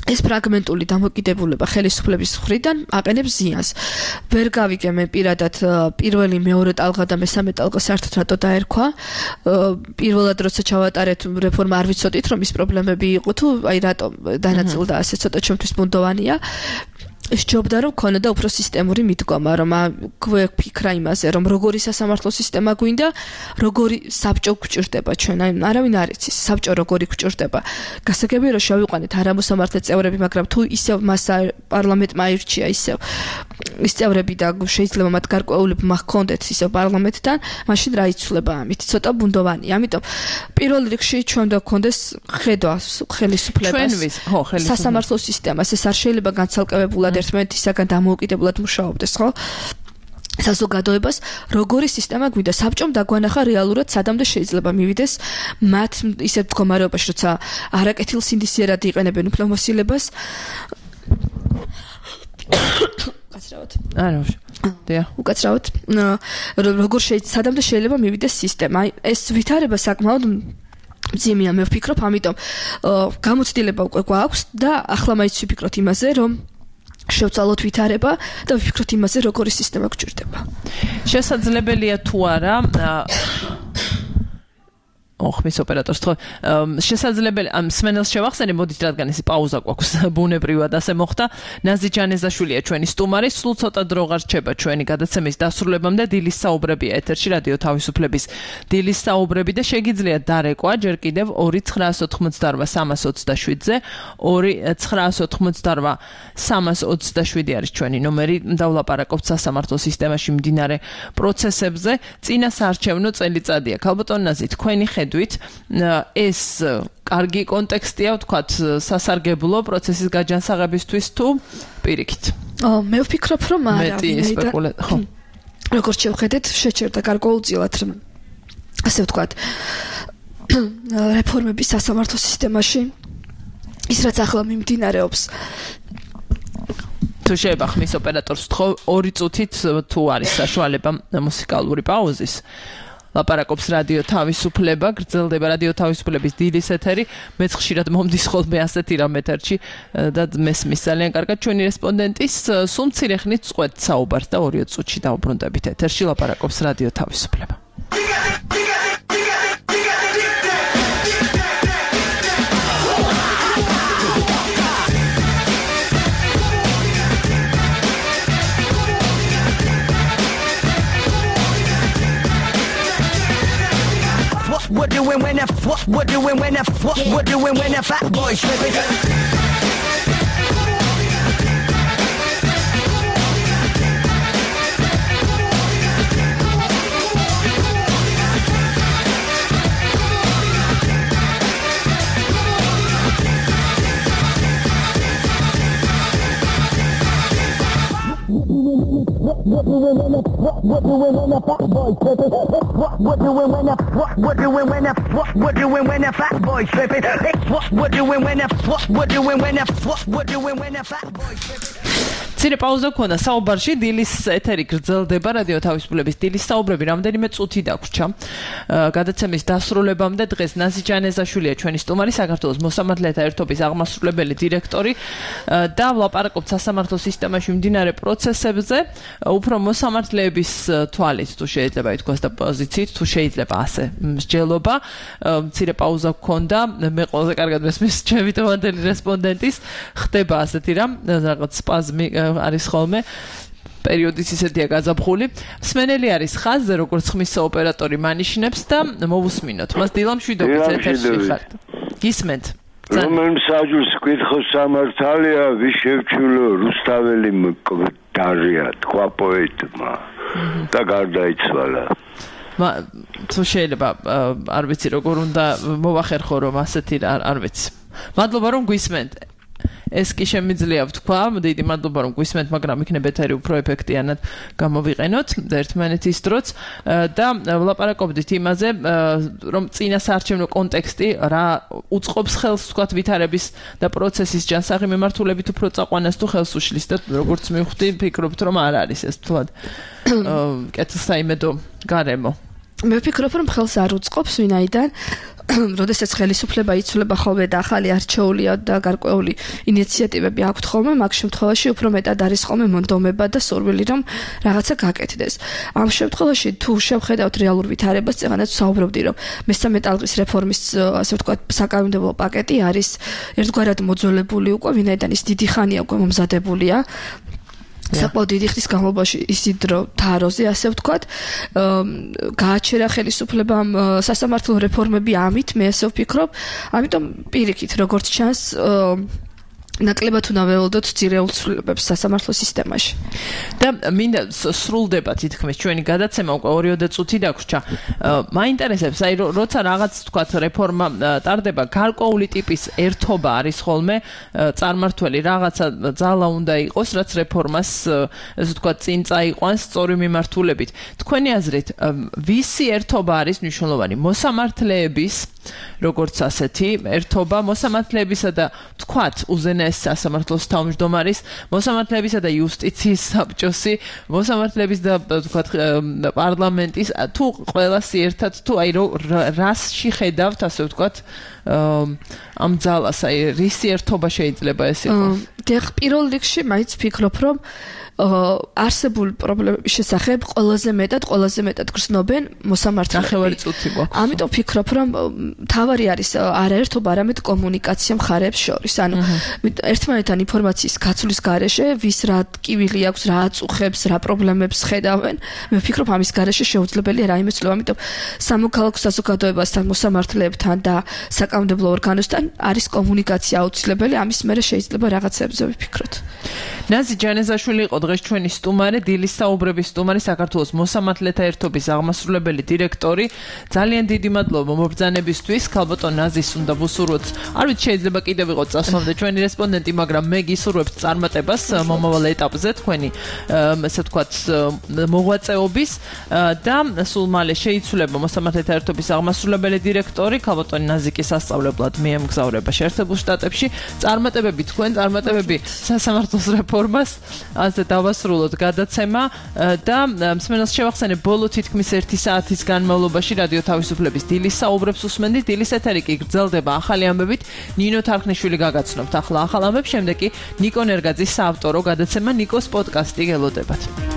Speaker 4: ეს ფრაგმენტული დამოკიდებულება ხელისუფლების მხრიდან აყენებს ზიანს. ვერ გავიგე მე პირადად პირველი, მეორე ტალღა და მესამე ტალღა საერთოდ რატო დაერქვა. პირველად როცა ჩავატარეთ რეფორმა არ ვიცოდით რომ ის პრობლემები იყო თუ აი რატო დანაწილდა ასე ცოტა ჩემთვის ბუნდოვანია. სჯობდა რომ ქონოდა უფრო სისტემური მიდგომა, რომ გვეფიქრა იმაზე, რომ როგორი სასამართლო სისტემა გვინდა, როგორი საბჭო გვჭირდება ჩვენ, აი არავინ არ იცის, საბჭო როგორი გვჭირდება. გასაგებია რომ შევიყვანეთ არამოსამართლე წევრები, მაგრამ თუ ისევ მას პარლამენტმა აირჩია ისევ ის წევრები და შეიძლება მათ გარკვეულებმა ჰქონდეთ ისევ პარლამენტთან, მაშინ რა იცვლება ამით? ცოტა ბუნდოვანია. ამიტომ პირველ რიგში ჩვენ უნდა გქონდეს ხედვა ხელისუფლებას, სასამართლო სისტემას, ეს არ შეიძლება განცალკევებულად ერთმანეთისაგან დამოუკიდებლად მუშაობდეს, ხო? საზოგადოებას როგორი სისტემა გვინდა საბჭომ დაგვანახა რეალურად სადამდე შეიძლება მივიდეს მათ ისეთ მდგომარეობაში, როცა არაკეთილსინდისიერად იყენებენ უფლებამოსილებას. უკაცრავად.
Speaker 3: არა, დია.
Speaker 4: უკაცრავად. როგორ შეიძლება სადამდე შეიძლება მივიდეს სისტემა. ეს ვითარება საკმაოდ მძიმეა, მე ვფიქრობ, ამიტომ გამოცდილება უკვე გვაქვს და ახლა მაინც ვფიქრობთ იმაზე, რომ შევცვალოთ ვითარება და ვფიქროთ იმაზე, როგორი სისტემა გვჭირდება.
Speaker 3: შესაძლებელია თუ არა ოხმის ოპერატორს თქო შესაძლებელი ამ სმენელს შევახსენე, მოდით რადგან ეს პაუზა გვაქვს ბუნებრივად ასე მოხდა. ნაზი ჯანეზაშვილია ჩვენი სტუმარი, სულ ცოტა დრო აღარ რჩება ჩვენი გადაცემის დასრულებამდე. დილის საუბრებია ეთერში რადიო თავისუფლების დილის საუბრები და შეგიძლიათ დარეკვა ჯერ კიდევ ორი ცხრაას ოთხმოცდაორვა სამას ოცდაშვიდზე ორი ცხრაას ოთხმოცდაორვა სამას ოცდაშვიდი არის ჩვენი ნომერი. დავლაპარაკობთ სასამართლო სისტემაში მიმდინარე პროცესებზე. წინა საარჩევნო წელიწადია. ქალბატონ ნაზი, თქვენი ეს კარგი კონტექსტია, ვთქვათ, სასარგებლო პროცესის გაჯანსაღებისთვის თუ პირიქით?
Speaker 4: მე ვფიქრობ, რომ არა. როგორც შევხედეთ, შეჩერდა გარკვეულწილად, ასე ვთქვათ, რეფორმების სასამართლო სისტემაში, ის რაც ახლა მიმდინარეობს.
Speaker 3: თუ შეიძლება ხმის ოპერატორს ვთხოვ, ორი წუთით თუ არის საშუალება მუსიკალური პაუზის. ლაპარაკობს რადიო თავისუფლება, გრძელდება რადიო თავისუფლების დილის ეთერი. მეც ხშირად მომდის ხოლმე ასეთი რამ ეთერში და მესმის ძალიან კარგად ჩვენი რესპონდენტის. სულ მცირე ხნით წყვეთ საუბარს და ორი წუთში დავუბრუნდებით ეთერში. ლაპარაკობს რადიო თავისუფლება.
Speaker 7: What doing when I what what doing when I what what doing when I fat boy slipping. What doing when I what what doing when I fat boy slipping. What what doing when I what what doing when I what what doing when I fat boy slipping. What what doing when I what what doing when I what what doing when I fat boy slipping.
Speaker 3: ცირე პაუზა ქონდა საუბარში. დილის ეთერი გრძელდება რადიო თავისუფლების დილის საუბრები რამდენიმე წუთი დაგვრჩა. გადაცემის დასრულებამდე დღეს ნაზი ჯანეზაშვილია ჩვენი სტუმარი, საქართველოს მოსამართლეთა ერთობის აღმასრულებელი დირექტორი და ვლაპარაკობთ სასამართლო სისტემაში მიმდინარე პროცესებზე. უფრო მოსამართლეების თვალით თუ შეიძლება ითქვას და პოზიციით თუ შეიძლება ასე მსჯელობა. ცირე პაუზა ქონდა, მე ყველაზე კარგად მესმის ჩემი თემატელი რესპონდენტის, ხდება ასეთი რამ, რაღაც სპაზმი არის ხოლმე პერიოდის ისეთია გაზაფხული. მსმენელი არის ხაზზე, როგორც ხმის ოპერატორი მანიშნებს და მოვუსმინოთ. მას დილამშვიდობით ეთერში ხართ. გისმენთ?
Speaker 8: რომელ მსაჯულს კითხოს სამართალია, ვის შევჩულო რუსთაველი მკვდარია, თქვა პოეტმა და გარდაიცვალა.
Speaker 3: თუ შეიძლება არ ვიცი როგორ უნდა მოვახერხო რომ ასეთი არ ვიცი. მადლობა რომ გვისმენთ. ეს კი შემიძლია ვთქვა, დიდი მადლობა რომ გვისმენთ, მაგრამ იქნებ ეთერი უფრო ეფექტიანად გამოვიყენოთ და ერთმანეთის დროც და ვლაპარაკობდით იმაზე, რომ წინა საარჩევნო კონტექსტი რა უწყობს ხელს ვთქვათ ვითარების და პროცესის ჯანსაღი მიმართულებით უფრო წაყვანას თუ ხელს უშლის და როგორც მივხვდი, ფიქრობთ რომ არ არის ეს თულად კეთილსაიმედო გარემო.
Speaker 4: მე ვფიქრობ რომ ხელს არ უწყობს, ვინაიდან როდესაც ხელისუფლება იცვლება ხოლმე და ახალი არჩეული და გარკვეული ინიციატივები აქვთ ხოლმე, მაგ შემთხვევაში უფრო მეტად არის ხოლმე მონდომება და სურვილი რომ რაღაცა გაკეთდეს. ამ შემთხვევაში თუ შევხედავთ რეალურ ვითარებას, წეგანაც საუბრობდი რომ მესამე ტალღის რეფორმის ასე ვთქვათ საკანონმდებლო პაკეტი არის ერთგვარად მოძველებული უკვე, ვინაიდან ის დიდი ხანია უკვე მომზადებულია. საკმაოდ დიდი ხნის განმავლობაში ისიდრო თაროზე ასე ვთქვათ გააჩერა ხელისუფლებამ სასამართლო რეფორმები ამით მე ასე ვფიქრობ ამიტომ პირიქით როგორც ჩანს ნაკლებად უნდა ველოდოთ ძირეულ ცვლილებებს სასამართლო სისტემაში.
Speaker 3: და მინდა სრულდება თითქმის ჩვენი გადაცემა უკვე ორიოდე წუთი დაგვრჩა. მაინტერესებს, აი როცა რაღაც თქვათ რეფორმა ტარდება, გარკვეული ტიპის ერთობა არის ხოლმე წარმართველი, რაღაცა ძალა უნდა იყოს, რაც რეფორმას ესე ვთქვათ წინ წაიყვანს სწორი მიმართულებით. თქვენი აზრით, ვისი ერთობა არის მნიშვნელოვანი? მოსამართლეების როგორც ასეთი ერთობა, მოსამართლეებისა და თქვათ უზენაეს სასამართლოს თავმჯდომარის, მოსამართლეებისა და იუსტიციის საბჭოსი, მოსამართლეების და თქვათ პარლამენტის, თუ ყველასი ერთად, თუ აი რასში ხედავთ, ასე ვთქვათ, ამ ძალას, აი რისი ერთობა შეიძლება ეს იყოს?
Speaker 4: დიახ, პირველ რიგში მაინც ვფიქრობ, რომ არსებულ პრობლემების შესახებ ყველაზე მეტად, ყველაზე მეტად გრძნობენ მოსამართლეები.
Speaker 3: ნახევარი წუთი გვაქვს.
Speaker 4: ამიტომ ვფიქრობ, რომ თავარი არის არაერთობა, არამედ კომუნიკაცია მხარეებს შორის. ანუ ერთმანეთთან ინფორმაციის გაცვლის გარეშე, ვის რა ტკივილი აქვს, რა აწუხებს, რა პრობლემებს ხედავენ, მე ვფიქრობ, ამის გარეშე შეუძლებელია რაიმე ცვლილება. ამიტომ სამოქალაქო საზოგადოებასთან, მოსამართლეებთან და საკანონმდებლო ორგანოსთან არის კომუნიკაცია აუცილებელი, ამის მერე შეიძლება რაღაცებზე ვიფიქროთ.
Speaker 3: ნაზი ჯანეზაშვილი იყო დღეს ჩვენი სტუმარი, დილის საუბრების სტუმარი, საქართველოს მოსამართლეთა ერთობის აღმასრულებელი დირექტორი. ძალიან დიდი მადლობა მობრძანებისთვის. ქალბატონ ნაზის უნდა ვუსურვოთ. არ ვიცი შეიძლება კიდევ ვიყოთ წასვლამდე ჩვენი რესპონდენტი, მაგრამ მე გისურვებთ წარმატებას მომავალ ეტაპზე თქვენი ესე ვთქვათ მოღვაწეობის და სულ მალე შეიცვლება მოსამართლეთა ერთობის აღმასრულებელი დირექტორი. ქალბატონი ნაზი კი სასწავლებლად მიემგზავრება შეერთებულ შტატებში. წარმატებები თქვენ, წარმატებები სასამართლოს რეფორმას. ასე დავასრულოთ გადაცემა და მსმენელს შევახსენებ ბოლო თითქმის ერთი საათის განმავლობაში რადიო თავისუფლების დილის საუბრებს უსმენდით. დილის ეთერი კი გრძელდება ახალი ამბებით. ნინო თარხნიშვილი გაგაცნობთ ახლა ახალ ამბებს, შემდეგ კი ნიკო ნერგაძის საავტორო გადაცემა ნიკოს პოდკასტი გელოდებათ.